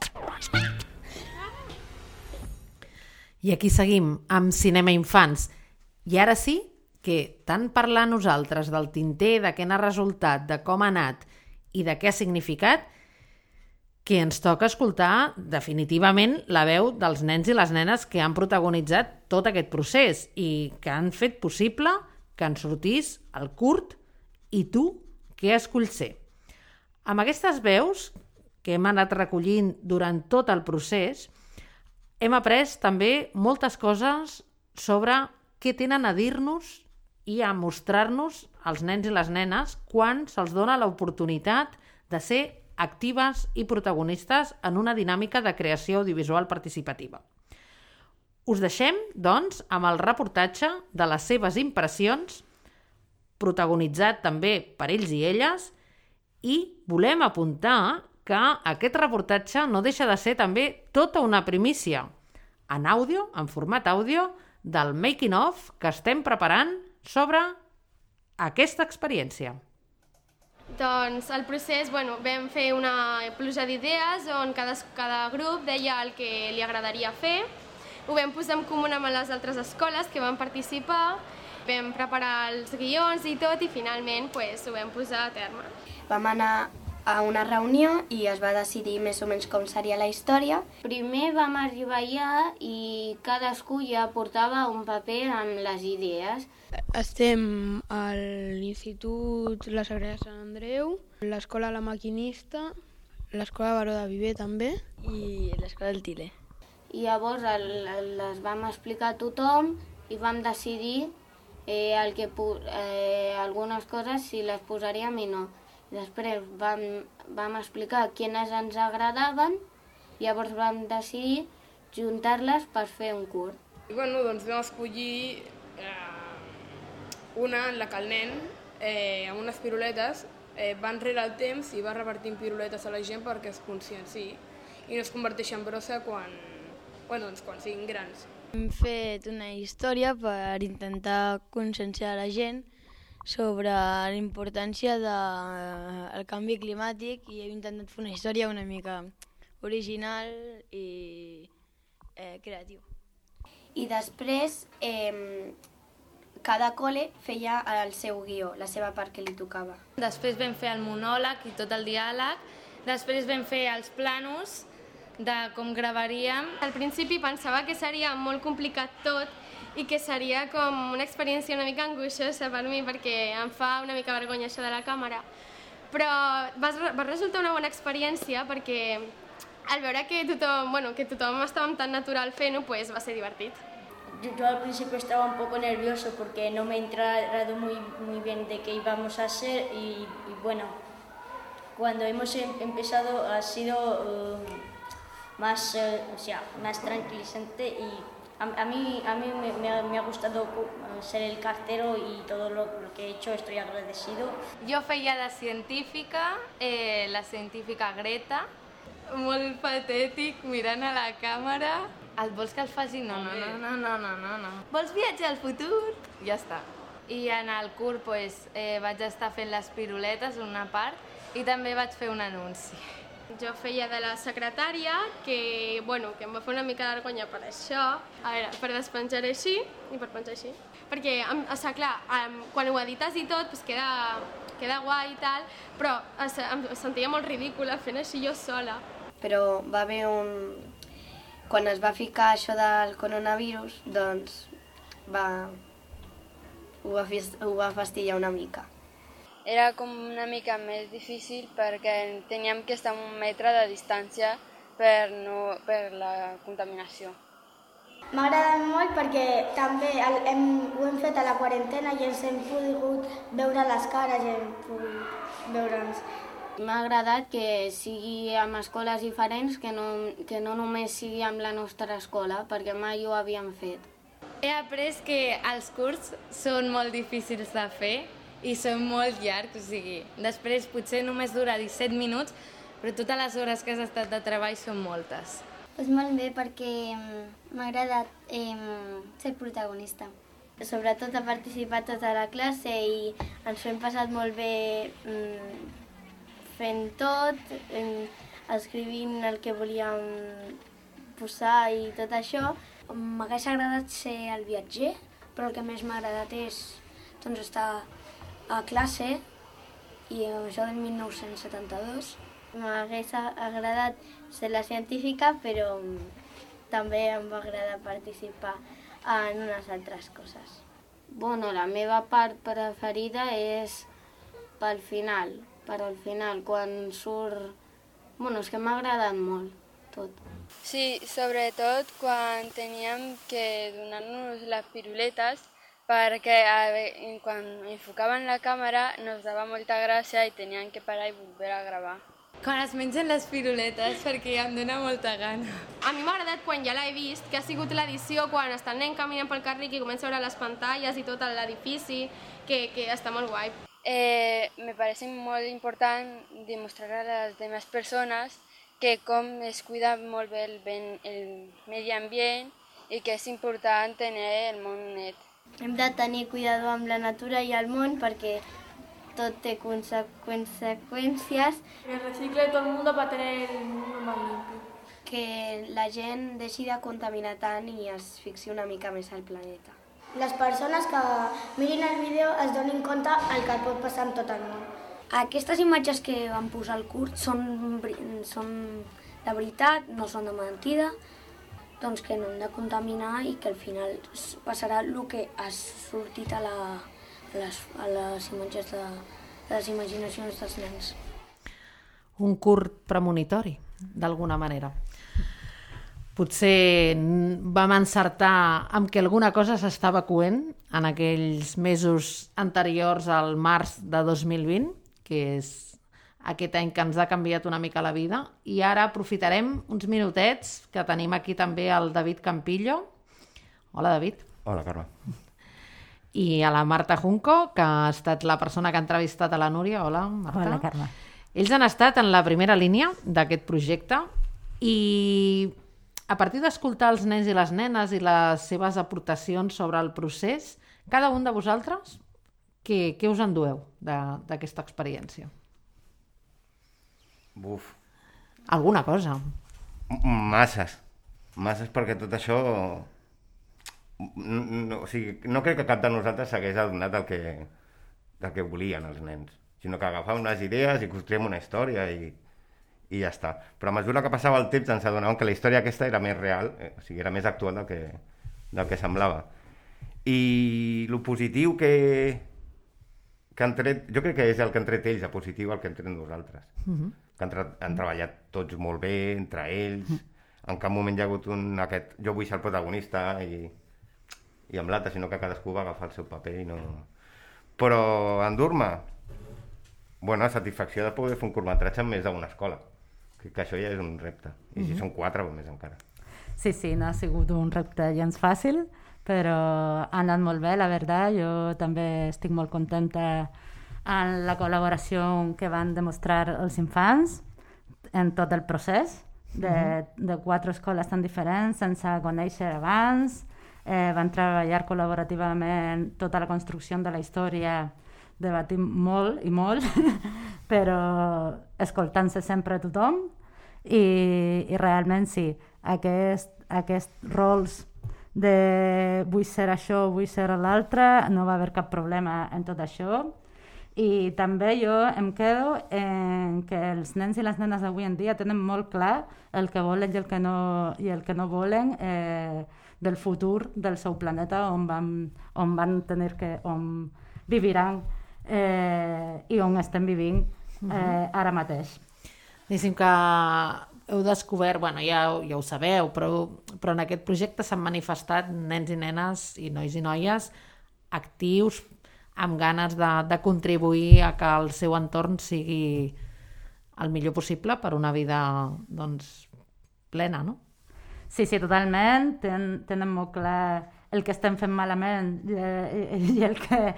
I aquí seguim amb Cinema Infants. I ara sí que tant parlar nosaltres del Tinter, de què n'ha resultat, de com ha anat i de què ha significat, que ens toca escoltar definitivament la veu dels nens i les nenes que han protagonitzat tot aquest procés i que han fet possible que en sortís el curt I tu, què esculls ser? Amb aquestes veus que hem anat recollint durant tot el procés, hem après també moltes coses sobre què tenen a dir-nos i a mostrar-nos als nens i les nenes quan se'ls dona l'oportunitat de ser actives i protagonistes en una dinàmica de creació audiovisual participativa. Us deixem, doncs, amb el reportatge de les seves impressions, protagonitzat també per ells i elles, i volem apuntar que aquest reportatge no deixa de ser també tota una primícia en àudio, en format àudio, del making of que estem preparant sobre aquesta experiència. Doncs el procés, vam fer una pluja d'idees on cada grup deia el que li agradaria fer. Ho vam posar en comú amb les altres escoles que van participar, vam preparar els guions i tot i finalment ho vam posar a terme. Vam anar a una reunió i es va decidir més o menys com seria la història. Primer vam arribar allà i cadascú ja portava un paper amb les idees. Estem a l'Institut La Sagrera de Sant Andreu, l'Escola La Maquinista, l'Escola Baró de Viver també i l'Escola del Tile. I llavors les vam explicar a tothom i vam decidir algunes coses si les posaríem i no. Després vam explicar quines ens agradaven, llavors vam decidir juntar-les per fer un curt. Doncs vam escollir una en la que el nen, amb unes piruletes, va enrere el temps i va repartint piruletes a la gent perquè es conscienciï i no es converteixi en brossa quan siguin grans. Hem fet una història per intentar conscienciar la gent sobre la importància del canvi climàtic i hem intentat fer una història una mica original i creativa. I després cada col·le feia el seu guió, la seva part que li tocava. Després vam fer el monòleg i tot el diàleg, després vam fer els planos de com gravaríem. Al principi pensava que seria molt complicat tot i que seria com una experiència una mica angoixosa per mi perquè em fa una mica vergonya això de la càmera. Però va resultar una bona experiència perquè al veure que tothom estava tan natural fent-ho, va ser divertit. Yo al principio estaba un poco nervioso porque no me he enterado muy bien de qué íbamos a hacer y bueno, cuando hemos empezado ha sido más tranquilizante y a mí me ha gustado ser el cartero y todo lo que he hecho, estoy agradecido. Jo feia de científica, la científica Greta, molt patètic, mirant a la càmera. Et vols que el faci? No. Vols viatjar al futur? Ja està. I en el curt vaig estar fent les piruletes, una part, i també vaig fer un anunci. Jo feia de la secretària, que em va fer una mica de vergonya per això, per despenjar així i per penjar així. Perquè, clar, quan ho edites i tot, queda guai i tal, però em sentia molt ridícula fent així jo sola. Però va haver quan es va ficar això del coronavirus, doncs ho ho va fastidiar una mica. Era com una mica més difícil perquè teníem que estar a 1 metre de distància per la contaminació. M'ha agradat molt perquè també ho hem fet a la quarantena i ens hem pogut veure les cares i hem pogut veure'ns. M'ha agradat que sigui amb escoles diferents, que no només sigui amb la nostra escola, perquè mai ho havíem fet. He après que els curts són molt difícils de fer i són molt llargs, o sigui, després potser només dura 17 minuts, però totes les hores que has estat de treball són moltes. Doncs molt bé, perquè m'ha agradat ser protagonista. Sobretot ha participat tota la classe i ens ho hem passat molt bé fent tot, escrivint el que volíem posar i tot això. M'hagués agradat ser el viatger, però el que més m'ha agradat és estar a classe i això del 1972. M'hagués agradat ser la científica, però també em va agradar participar en unes altres coses. Bueno, la meva part preferida és pel final, quan surt... Bueno, és que m'ha agradat molt tot. Sí, sobretot quan teníem que donar-nos les piruletes perquè quan enfocaven la càmera nos dava molta gràcia i teníem que parar i volver a gravar. Quan es mengen les piruletes, perquè em dóna molta gana. A mi m'ha agradat quan ja l'he vist, que ha sigut l'edició quan està el nen caminant pel carrer i comença a veure les pantalles i tot l'edifici, que està molt guai. Me parece molt important demostrar a les demás persones que com es cuida molt bé el medi ambient i que és important tenir el món net. Hem de tenir cuidado amb la natura i el món perquè tot té conseqüències. Que recicle todo el mundo para tener el mundo más limpio. Que la gent deixi de contaminar tant i es fixi una mica més al planeta. Les persones que mirin el vídeo es donin compte el que pot passar en tot el món. Aquestes imatges que van posar al curt són de veritat, no són de mentida, doncs que no hem de contaminar i que al final passarà el que ha sortit a les imatges de les imaginacions dels nens. Un curt premonitori, d'alguna manera. Potser vam encertar amb que alguna cosa s'estava coent en aquells mesos anteriors al març de 2020, que és aquest any que ens ha canviat una mica la vida, i ara aprofitarem uns minutets que tenim aquí també el David Campillo. Hola, David. Hola, Carme. I a la Marta Junco, que ha estat la persona que ha entrevistat a la Núria. Hola, Marta. Hola, Carme. Ells han estat en la primera línia d'aquest projecte i a partir d'escoltar els nens i les nenes i les seves aportacions sobre el procés, cada un de vosaltres, què us endueu d'aquesta experiència? Buf. Alguna cosa. Masses perquè tot això... No crec que cap de nosaltres s'hagués adonat del que volien els nens, sinó que agafàvem unes idees i construïm una història i ja està. Però a mesura que passava el temps ens adonàvem que la història aquesta era més real, o sigui, era més actual del que semblava. I el positiu que han tret, jo crec que és el que han tret ells, el positiu el que han tret nosaltres. Que han treballat tots molt bé entre ells, en cap moment hi ha hagut jo vull ser el protagonista i amb l'altre, sinó que cadascú va agafar el seu paper i no... Però endur-me, la satisfacció de poder fer un curtmetratge en més d'una escola, que això ja és un repte, i si són 4 o més encara. Sí, no ha sigut un repte gens fàcil, però ha anat molt bé, la veritat. Jo també estic molt contenta en la col·laboració que van demostrar els infants en tot el procés de 4 escoles tan diferents, sense conèixer abans. Van treballar col·laborativament tota la construcció de la història, debatim molt i molt, però escoltant-se sempre a tothom i realment sí, aquests rols de vull ser això, vull ser l'altre, no va haver cap problema en tot això. I també jo em quedo en que els nens i les nenes d'avui en dia tenen molt clar el que volen i el que no volen del futur del seu planeta on viviran i on estem vivint ara mateix. Diguéssim que heu descobert, ja ho sabeu, però en aquest projecte s'han manifestat nens i nenes i nois i noies actius, amb ganes de contribuir a que el seu entorn sigui el millor possible per una vida plena, no? Sí, totalment. Tenen molt clar el que estem fent malament i el que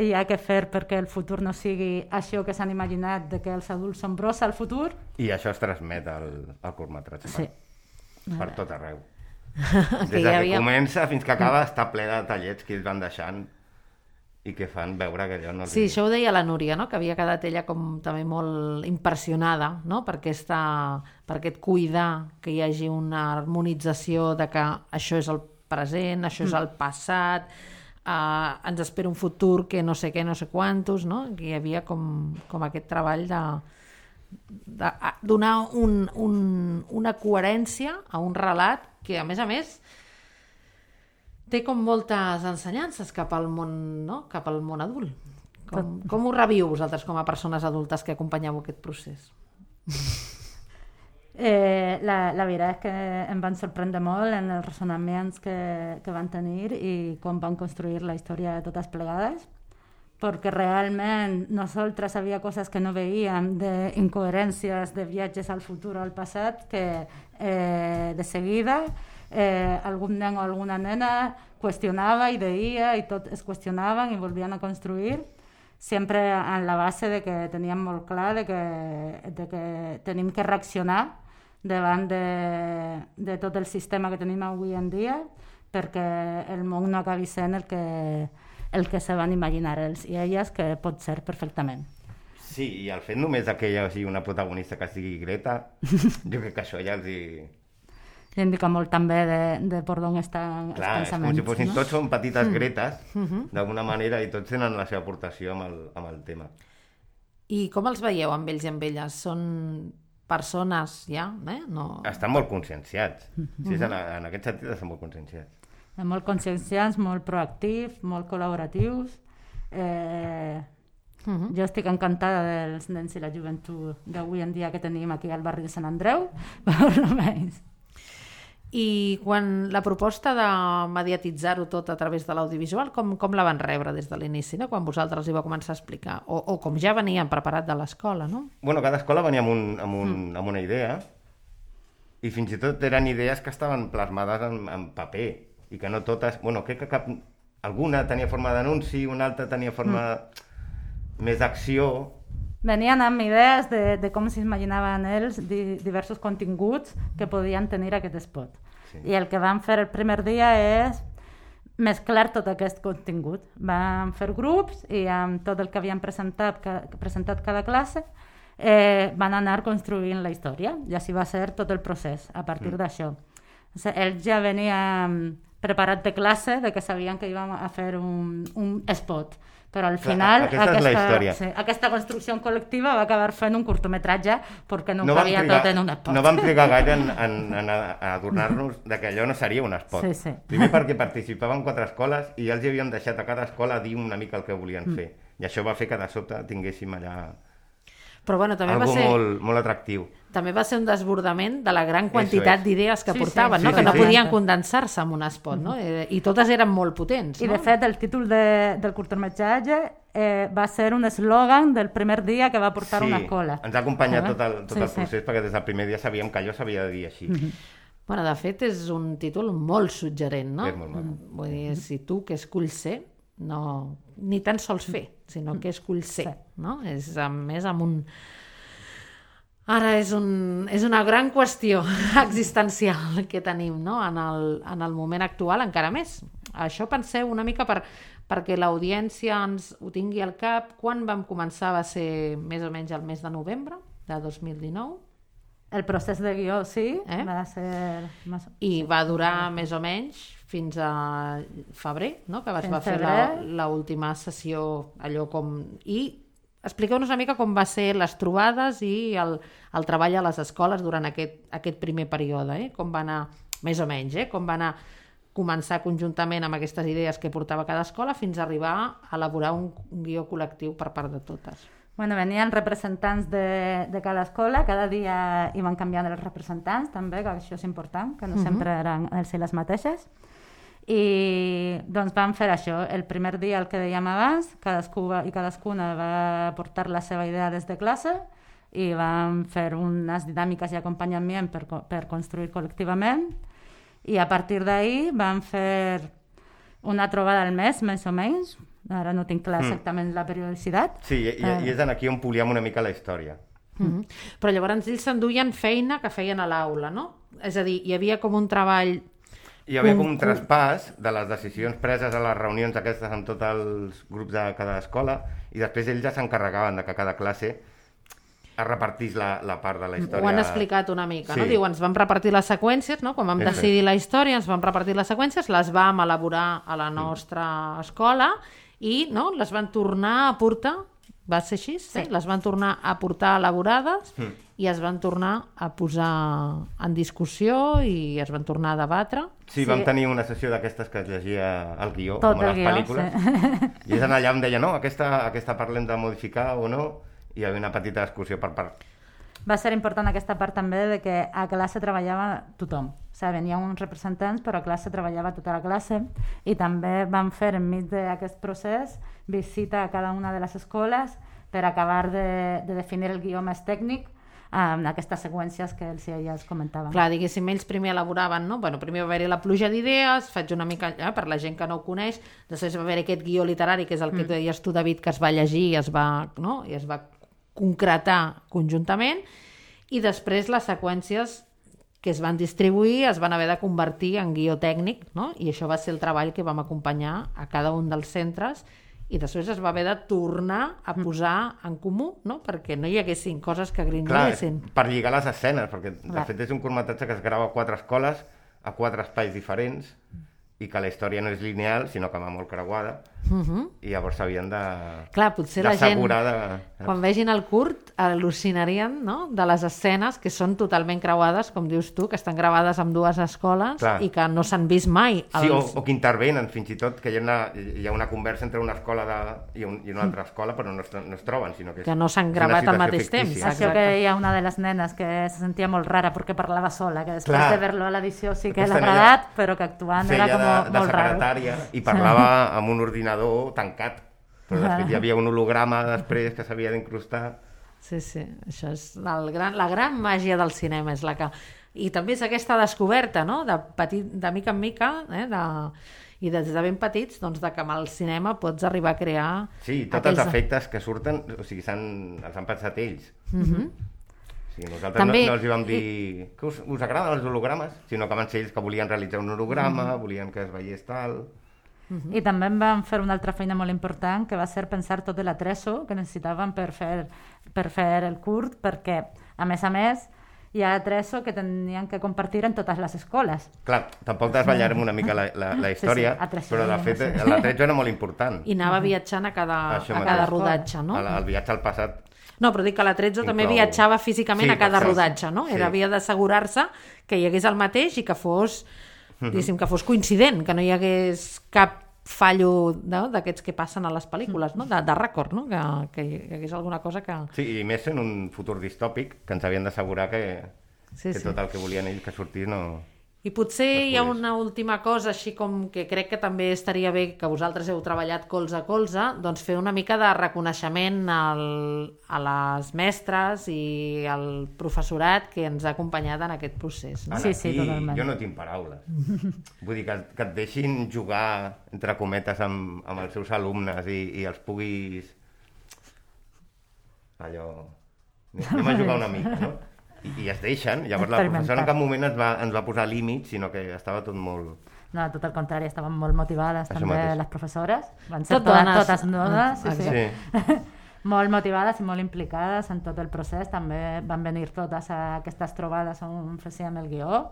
hi ha que fer perquè el futur no sigui això que s'han imaginat de que els adults són brossa al futur. I això es transmet al curtmetratge. Sí. Per tot arreu. Des que comença fins que acaba està ple de tallets que ells van deixant i que fan veure que allò no... Sí, això ho deia la Núria, no? Que havia quedat ella com també molt impressionada, no? per aquest cuidar que hi hagi una harmonització de que això és el present, això és el passat, ens espera un futur que no sé què, no sé quantos, no? Que hi havia com aquest treball de donar una coherència a un relat que, a més, té com moltes ensenyances cap al món, no? Cap al món adult. Com ho reviu vosaltres com a persones adultes que acompanyeu aquest procés? La veritat és que em van sorprendre molt en els ressonaments que van tenir i com van construir la història de totes plegades, perquè realment nosaltres havia coses que no veiem, d'incoherències, de viatges al futur o al passat, que de seguida algun nen o alguna nena qüestionava i deia i tot es qüestionaven i volvien a construir, sempre en la base de que teníem molt clar de que tenim que reaccionar davant de tot el sistema que tenim avui en dia perquè el món no acabi sent el que se van imaginar ells i elles, que pot ser perfectament. Sí, i el fet només que hi hagi una protagonista que sigui Greta, jo crec que això ja els hi... I indica molt també de per d'on estan els pensaments. Clar, és com si fossin tots són petites Gretes, d'alguna manera, i tots tenen la seva aportació amb el tema. I com els veieu amb ells i amb elles? Són persones ja? No... Estan molt conscienciats. Sí, en aquest sentit estan molt conscienciats. Molt conscienciats, molt proactius, molt col·laboratius. Jo estic encantada dels nens i la joventut d'avui en dia que tenim aquí al barri de Sant Andreu, per almenys. I quan la proposta de mediatitzar-ho tot a través de l'audiovisual, com la van rebre des de l'inici, no? Quan vosaltres hi vau començar a explicar? O com ja venien preparat de l'escola, no? Bueno, cada escola venia amb una idea i fins i tot eren idees que estaven plasmades en paper i que no totes... Bueno, crec que alguna tenia forma d'anunci, una altra tenia forma més d'acció... Venien amb idees de com s'imaginaven ells diversos continguts que podien tenir aquest spot. Sí. I el que van fer el primer dia és mesclar tot aquest contingut. Vam fer grups i amb tot el que havien presentat cada classe van anar construint la història i així va ser tot el procés a partir d'això. Ells ja venien preparats de classe, de que sabien que íbam a fer un spot. Però al final aquesta construcció col·lectiva va acabar fent un curtmetratge perquè no cabia tot en un spot. No vam trigar gaire en adonar-nos que allò no seria un spot. Sí. Primer perquè participaven 4 escoles i ja els havíem deixat a cada escola dir una mica el que volien fer. I això va fer que de sobte tinguéssim allà algo molt atractiu. També va ser un desbordament de la gran quantitat d'idees que portaven, que no podien condensar-se en un spot, no? I totes eren molt potents. I de fet el títol del curtmetratge va ser un eslògan del primer dia que va portar una escola. Ens ha acompanyat tot el procés perquè des del primer dia sabíem que allò s'havia de dir així. Bueno, de fet és un títol molt suggerent, no? És molt maco. Vull dir, si tu que esculls ser, no, ni tan sols fer, sinó que esculls ser, no? És més amb un... Ara és una gran qüestió existencial que tenim, no? En el moment actual, encara més. Això penseu una mica perquè l'audiència ens ho tingui al cap. Quan vam començar? Va ser més o menys el mes de novembre de 2019? El procés de guió, sí, va ser... I va durar més o menys fins a febrer, no? Que va fer l'última sessió, allò com... I expliqueu-nos una mica com va ser les trobades i el treball a les escoles durant aquest primer període, com va anar, més o menys, com va anar començar conjuntament amb aquestes idees que portava cada escola fins a arribar a elaborar un guió col·lectiu per part de totes. Bueno, venien representants de cada escola, cada dia iban canviant els representants també, que això és important, que no sempre eren els i les mateixes. I doncs vam fer això, el primer dia el que dèiem abans, cadascú i cadascuna va portar la seva idea des de classe i vam fer unes dinàmiques i acompanyament per construir col·lectivament i a partir d'ahir vam fer una trobada al mes, més o menys, ara no tinc clar exactament la periodicitat. Sí, i és aquí on políem una mica la història. Però llavors ells s'enduien feina que feien a l'aula, no? És a dir, hi havia com un treball... Hi havia com un traspàs de les decisions preses a les reunions aquestes amb tots els grups de cada escola i després ells ja s'encarregaven de que cada classe es repartís la part de la història. Ho han explicat una mica, no? Diu, ens vam repartir les seqüències, no? Quan vam decidir la història ens vam repartir les seqüències, les vam elaborar a la nostra escola i les van tornar a portar, va ser així? Sí. Les van tornar a portar elaborades i es van tornar a posar en discussió i es van tornar a debatre. Sí, vam tenir una sessió d'aquestes que es llegia el guió, com a les pel·lícules, i és allà em deia, no, aquesta parlem de modificar o no, i hi havia una petita discussió per part. Va ser important aquesta part també de que a classe treballava tothom. O sigui, venien uns representants, però a classe treballava tota la classe i també vam fer enmig d'aquest procés visita a cada una de les escoles per acabar de definir el guió més tècnic en aquestes seqüències que ells i elles comentaven. Clar, diguéssim, ells primer elaboraven, no? Bueno, primer va haver-hi la pluja d'idees, faig una mica per la gent que no ho coneix, després va haver aquest guió literari, que és el que deies tu, David, que es va llegir i es va concretar conjuntament, i després les seqüències que es van distribuir es van haver de convertir en guió tècnic, no? I això va ser el treball que vam acompanyar a cada un dels centres i després es va haver de tornar a posar en comú, no? Perquè no hi haguessin coses que grinyollessin. Clar, per lligar les escenes, perquè de fet és un curtmetratge que es grava a 4 escoles, a 4 espais diferents, i que la història no és lineal, sinó que va molt creuada, i llavors s'havien de... Clar, potser la gent, quan vegin el curt, al·lucinarien, no?, de les escenes que són totalment creuades, com dius tu, que estan gravades amb 2 escoles i que no s'han vist mai. Sí, o que intervenen, fins i tot, que hi ha una conversa entre una escola i una altra escola, però no es troben, sinó que no s'han gravat al mateix temps. Això que hi ha una de les nenes que se sentia molt rara perquè parlava sola, que després de veure-lo a l'edició sí que l'ha agradat, però que actuant era com molt raro. Secretària i parlava amb un ordinador tancat, però després hi havia un holograma després que s'havia d'incrustar. Sí, això és la gran màgia del cinema, és la que... I també és aquesta descoberta, no?, de mica en mica, i des de ben petits, doncs, de que amb el cinema pots arribar a crear... Sí, tots els efectes que surten, o sigui, els han pensat ells. Sí, nosaltres també, no els hi vam dir que us agraden els hologrames, sinó que van ser ells que volien realitzar un holograma, volien que es veiés tal... I també vam fer una altra feina molt important, que va ser pensar tot l'atrezo que necessitàvem per fer el curt, perquè, a més, hi ha atrezo que tenien que compartir en totes les escoles. Clar, tampoc desvetllarem una mica la història, però de fet l'atrezo era molt important. I anava viatjant a cada rodatge, no? El viatge al passat. No, però dic que l'atrezo també viatjava físicament a cada rodatge, no? Havia d'assegurar-se que hi hagués el mateix i que fos coincident, que no hi hagués cap fallo d'aquests que passen a les pel·lícules, no? De rècord, no? Que hi hagués alguna cosa que... Sí, i més en un futur distòpic, que ens havien d'assegurar que tot el que volien ells que sortís no... I potser hi ha una última cosa, així com que crec que també estaria bé que vosaltres heu treballat colze a colze, doncs fer una mica de reconeixement a les mestres i al professorat que ens ha acompanyat en aquest procés. No? Sí, totalment. Jo no tinc paraules. Vull dir, que et deixin jugar, entre cometes, amb els seus alumnes i els puguis... Allò... Anem a jugar una mica, no? I es deixen, llavors la professora en cap moment ens va posar límits, sinó que estava tot molt... No, tot el contrari, estaven molt motivades també les professores, van ser totes dones, sí. Molt motivades i molt implicades en tot el procés, també van venir totes a aquestes trobades on fèiem el guió,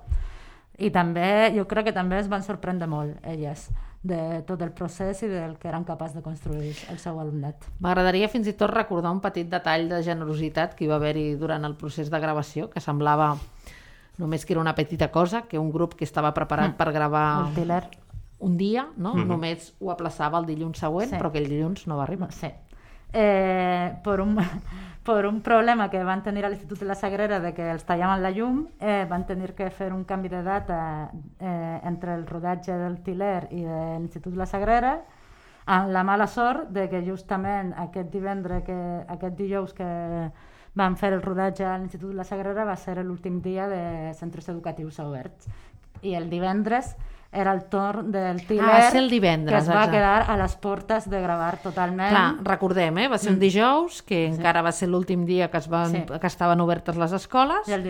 i també, jo crec que també es van sorprendre molt elles de tot el procés i del que eren capaços de construir el seu alumnat. M'agradaria fins i tot recordar un petit detall de generositat que hi va haver-hi durant el procés de gravació, que semblava només que era una petita cosa, que un grup que estava preparat per gravar un dia, no? Només ho aplaçava el dilluns següent, però aquell dilluns no va arribar. Sí. Por un problema que van tenir a l'Institut de la Sagrera de que els tallaven la llum, van tenir que fer un canvi de data entre el rodatge del Til·ler i de l'Institut de la Sagrera, amb la mala sort de que justament aquest dijous que van fer el rodatge a l'Institut de la Sagrera va ser l'últim dia de centres educatius oberts, i el divendres era el torn del Til·ler, que es va quedar a les portes de gravar totalment. Clar, recordem, va ser un dijous, que encara va ser l'últim dia que estaven obertes les escoles, i el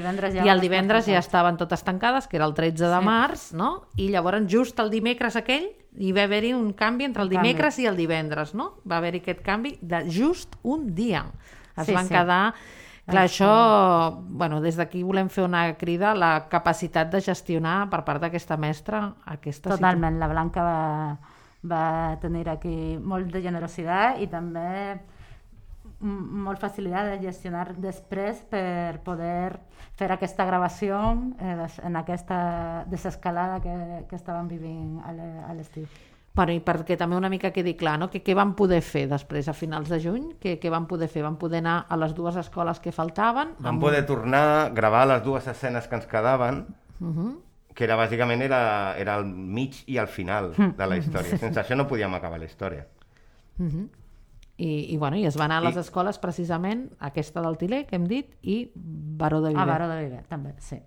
divendres ja estaven totes tancades, que era el 13 de març, no? I llavors just el dimecres aquell hi va haver-hi un canvi entre el dimecres i el divendres, no? Va haver-hi aquest canvi de just un dia. Es van quedar... Clar, això, des d'aquí volem fer una crida a la capacitat de gestionar per part d'aquesta mestra aquesta situació. Totalment, la Blanca va tenir aquí molt de generositat i també molt facilitat de gestionar després per poder fer aquesta gravació en aquesta desescalada que estàvem vivint a l'estiu. I perquè també una mica quedi clar, no? Què van poder fer després, a finals de juny? Què van poder fer? Van poder anar a les dues escoles que faltaven? Vam poder tornar a gravar les dues escenes que ens quedaven, que era bàsicament era el mig i el final de la història. Sense això no podíem acabar la història. I es va anar a les escoles precisament, aquesta del Til·ler, que hem dit, i Baró de Viver. Baró de Viver, també, sí.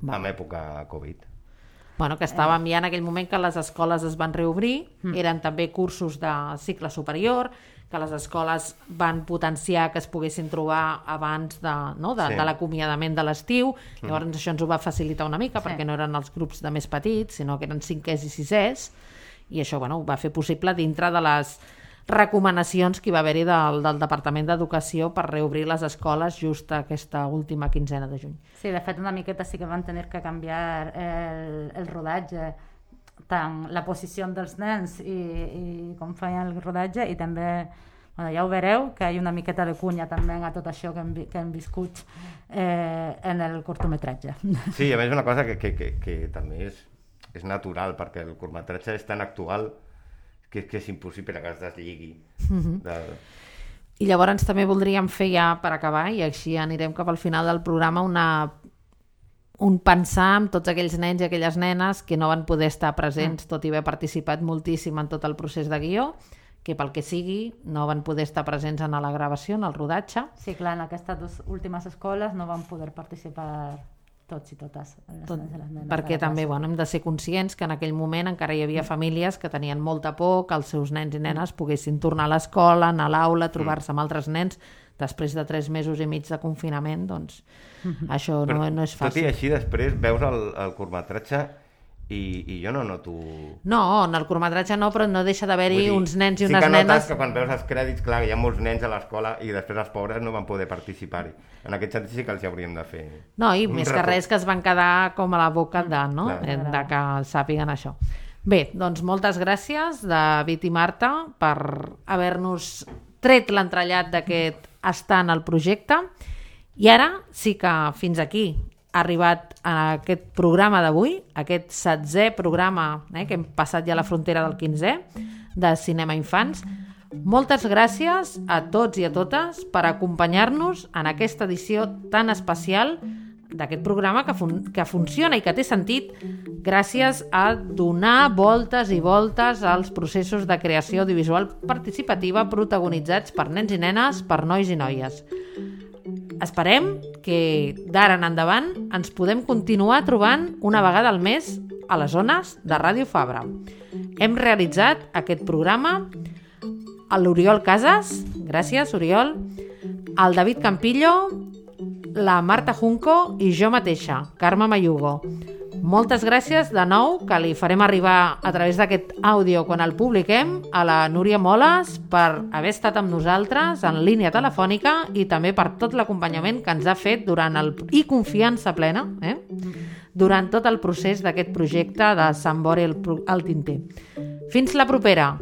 En època Covid. Que estàvem ja en aquell moment que les escoles es van reobrir, eren també cursos de cicle superior, que les escoles van potenciar que es poguessin trobar abans de l'acomiadament de l'estiu. Llavors això ens ho va facilitar una mica, perquè no eren els grups de més petits, sinó que eren 5è i 6è, i això ho va fer possible dintre de les recomanacions que hi va haver-hi del Departament d'Educació per reobrir les escoles just aquesta última quinzena de juny. Sí, de fet una miqueta sí que van tenir que canviar el rodatge, tant la posició dels nens i com feien el rodatge, i també, ja ho veureu, que hi ha una miqueta de cunya també a tot això que hem viscut en el curtmetratge. Sí, a més una cosa que també és natural, perquè el curtmetratge és tan actual que és impossible que es deslligui. I llavors també voldríem fer ja per acabar, i així anirem cap al final del programa, un pensar en tots aquells nens i aquelles nenes que no van poder estar presents, tot i haver participat moltíssim en tot el procés de guió, que pel que sigui no van poder estar presents en la gravació, en el rodatge. Sí, clar, en aquestes dues últimes escoles no van poder participar tots i totes. Perquè també hem de ser conscients que en aquell moment encara hi havia famílies que tenien molta por que els seus nens i nenes poguessin tornar a l'escola, anar a l'aula, trobar-se amb altres nens després de 3 mesos i mig de confinament, doncs això no és fàcil. Tot i així, després veus el curtmetratge i jo no noto... No, en el curtmetratge no, però no deixa d'haver-hi uns nens i unes nenes... Sí que notes que quan veus els crèdits, clar, hi ha molts nens a l'escola i després els pobres no van poder participar-hi. En aquest sentit sí que els hauríem de fer... No, i més que res que es van quedar com a la boca de que sàpiguen això. Bé, doncs moltes gràcies, David i Marta, per haver-nos tret l'entrellat d'aquest estar en el projecte. I ara sí que fins aquí ha arribat a aquest programa d'avui, aquest 7è programa, que hem passat ja la frontera del 15è, de Cinema Infants. Moltes gràcies a tots i a totes per acompanyar-nos en aquesta edició tan especial d'aquest programa que funciona i que té sentit gràcies a donar voltes i voltes als processos de creació audiovisual participativa protagonitzats per nens i nenes, per nois i noies. Esperem que d'ara en endavant ens podem continuar trobant una vegada al mes a les zones de Ràdio Fabra. Hem realitzat aquest programa l'Oriol Casas, gràcies Oriol, el David Campillo, la Marta Junco i jo mateixa, Carme Mayugo. Moltes gràcies de nou, que li farem arribar a través d'aquest àudio quan el publiquem, a la Núria Moles per haver estat amb nosaltres en línia telefònica i també per tot l'acompanyament que ens ha fet i confiança plena durant tot el procés d'aquest projecte de Sant Bori al Tinter. Fins la propera!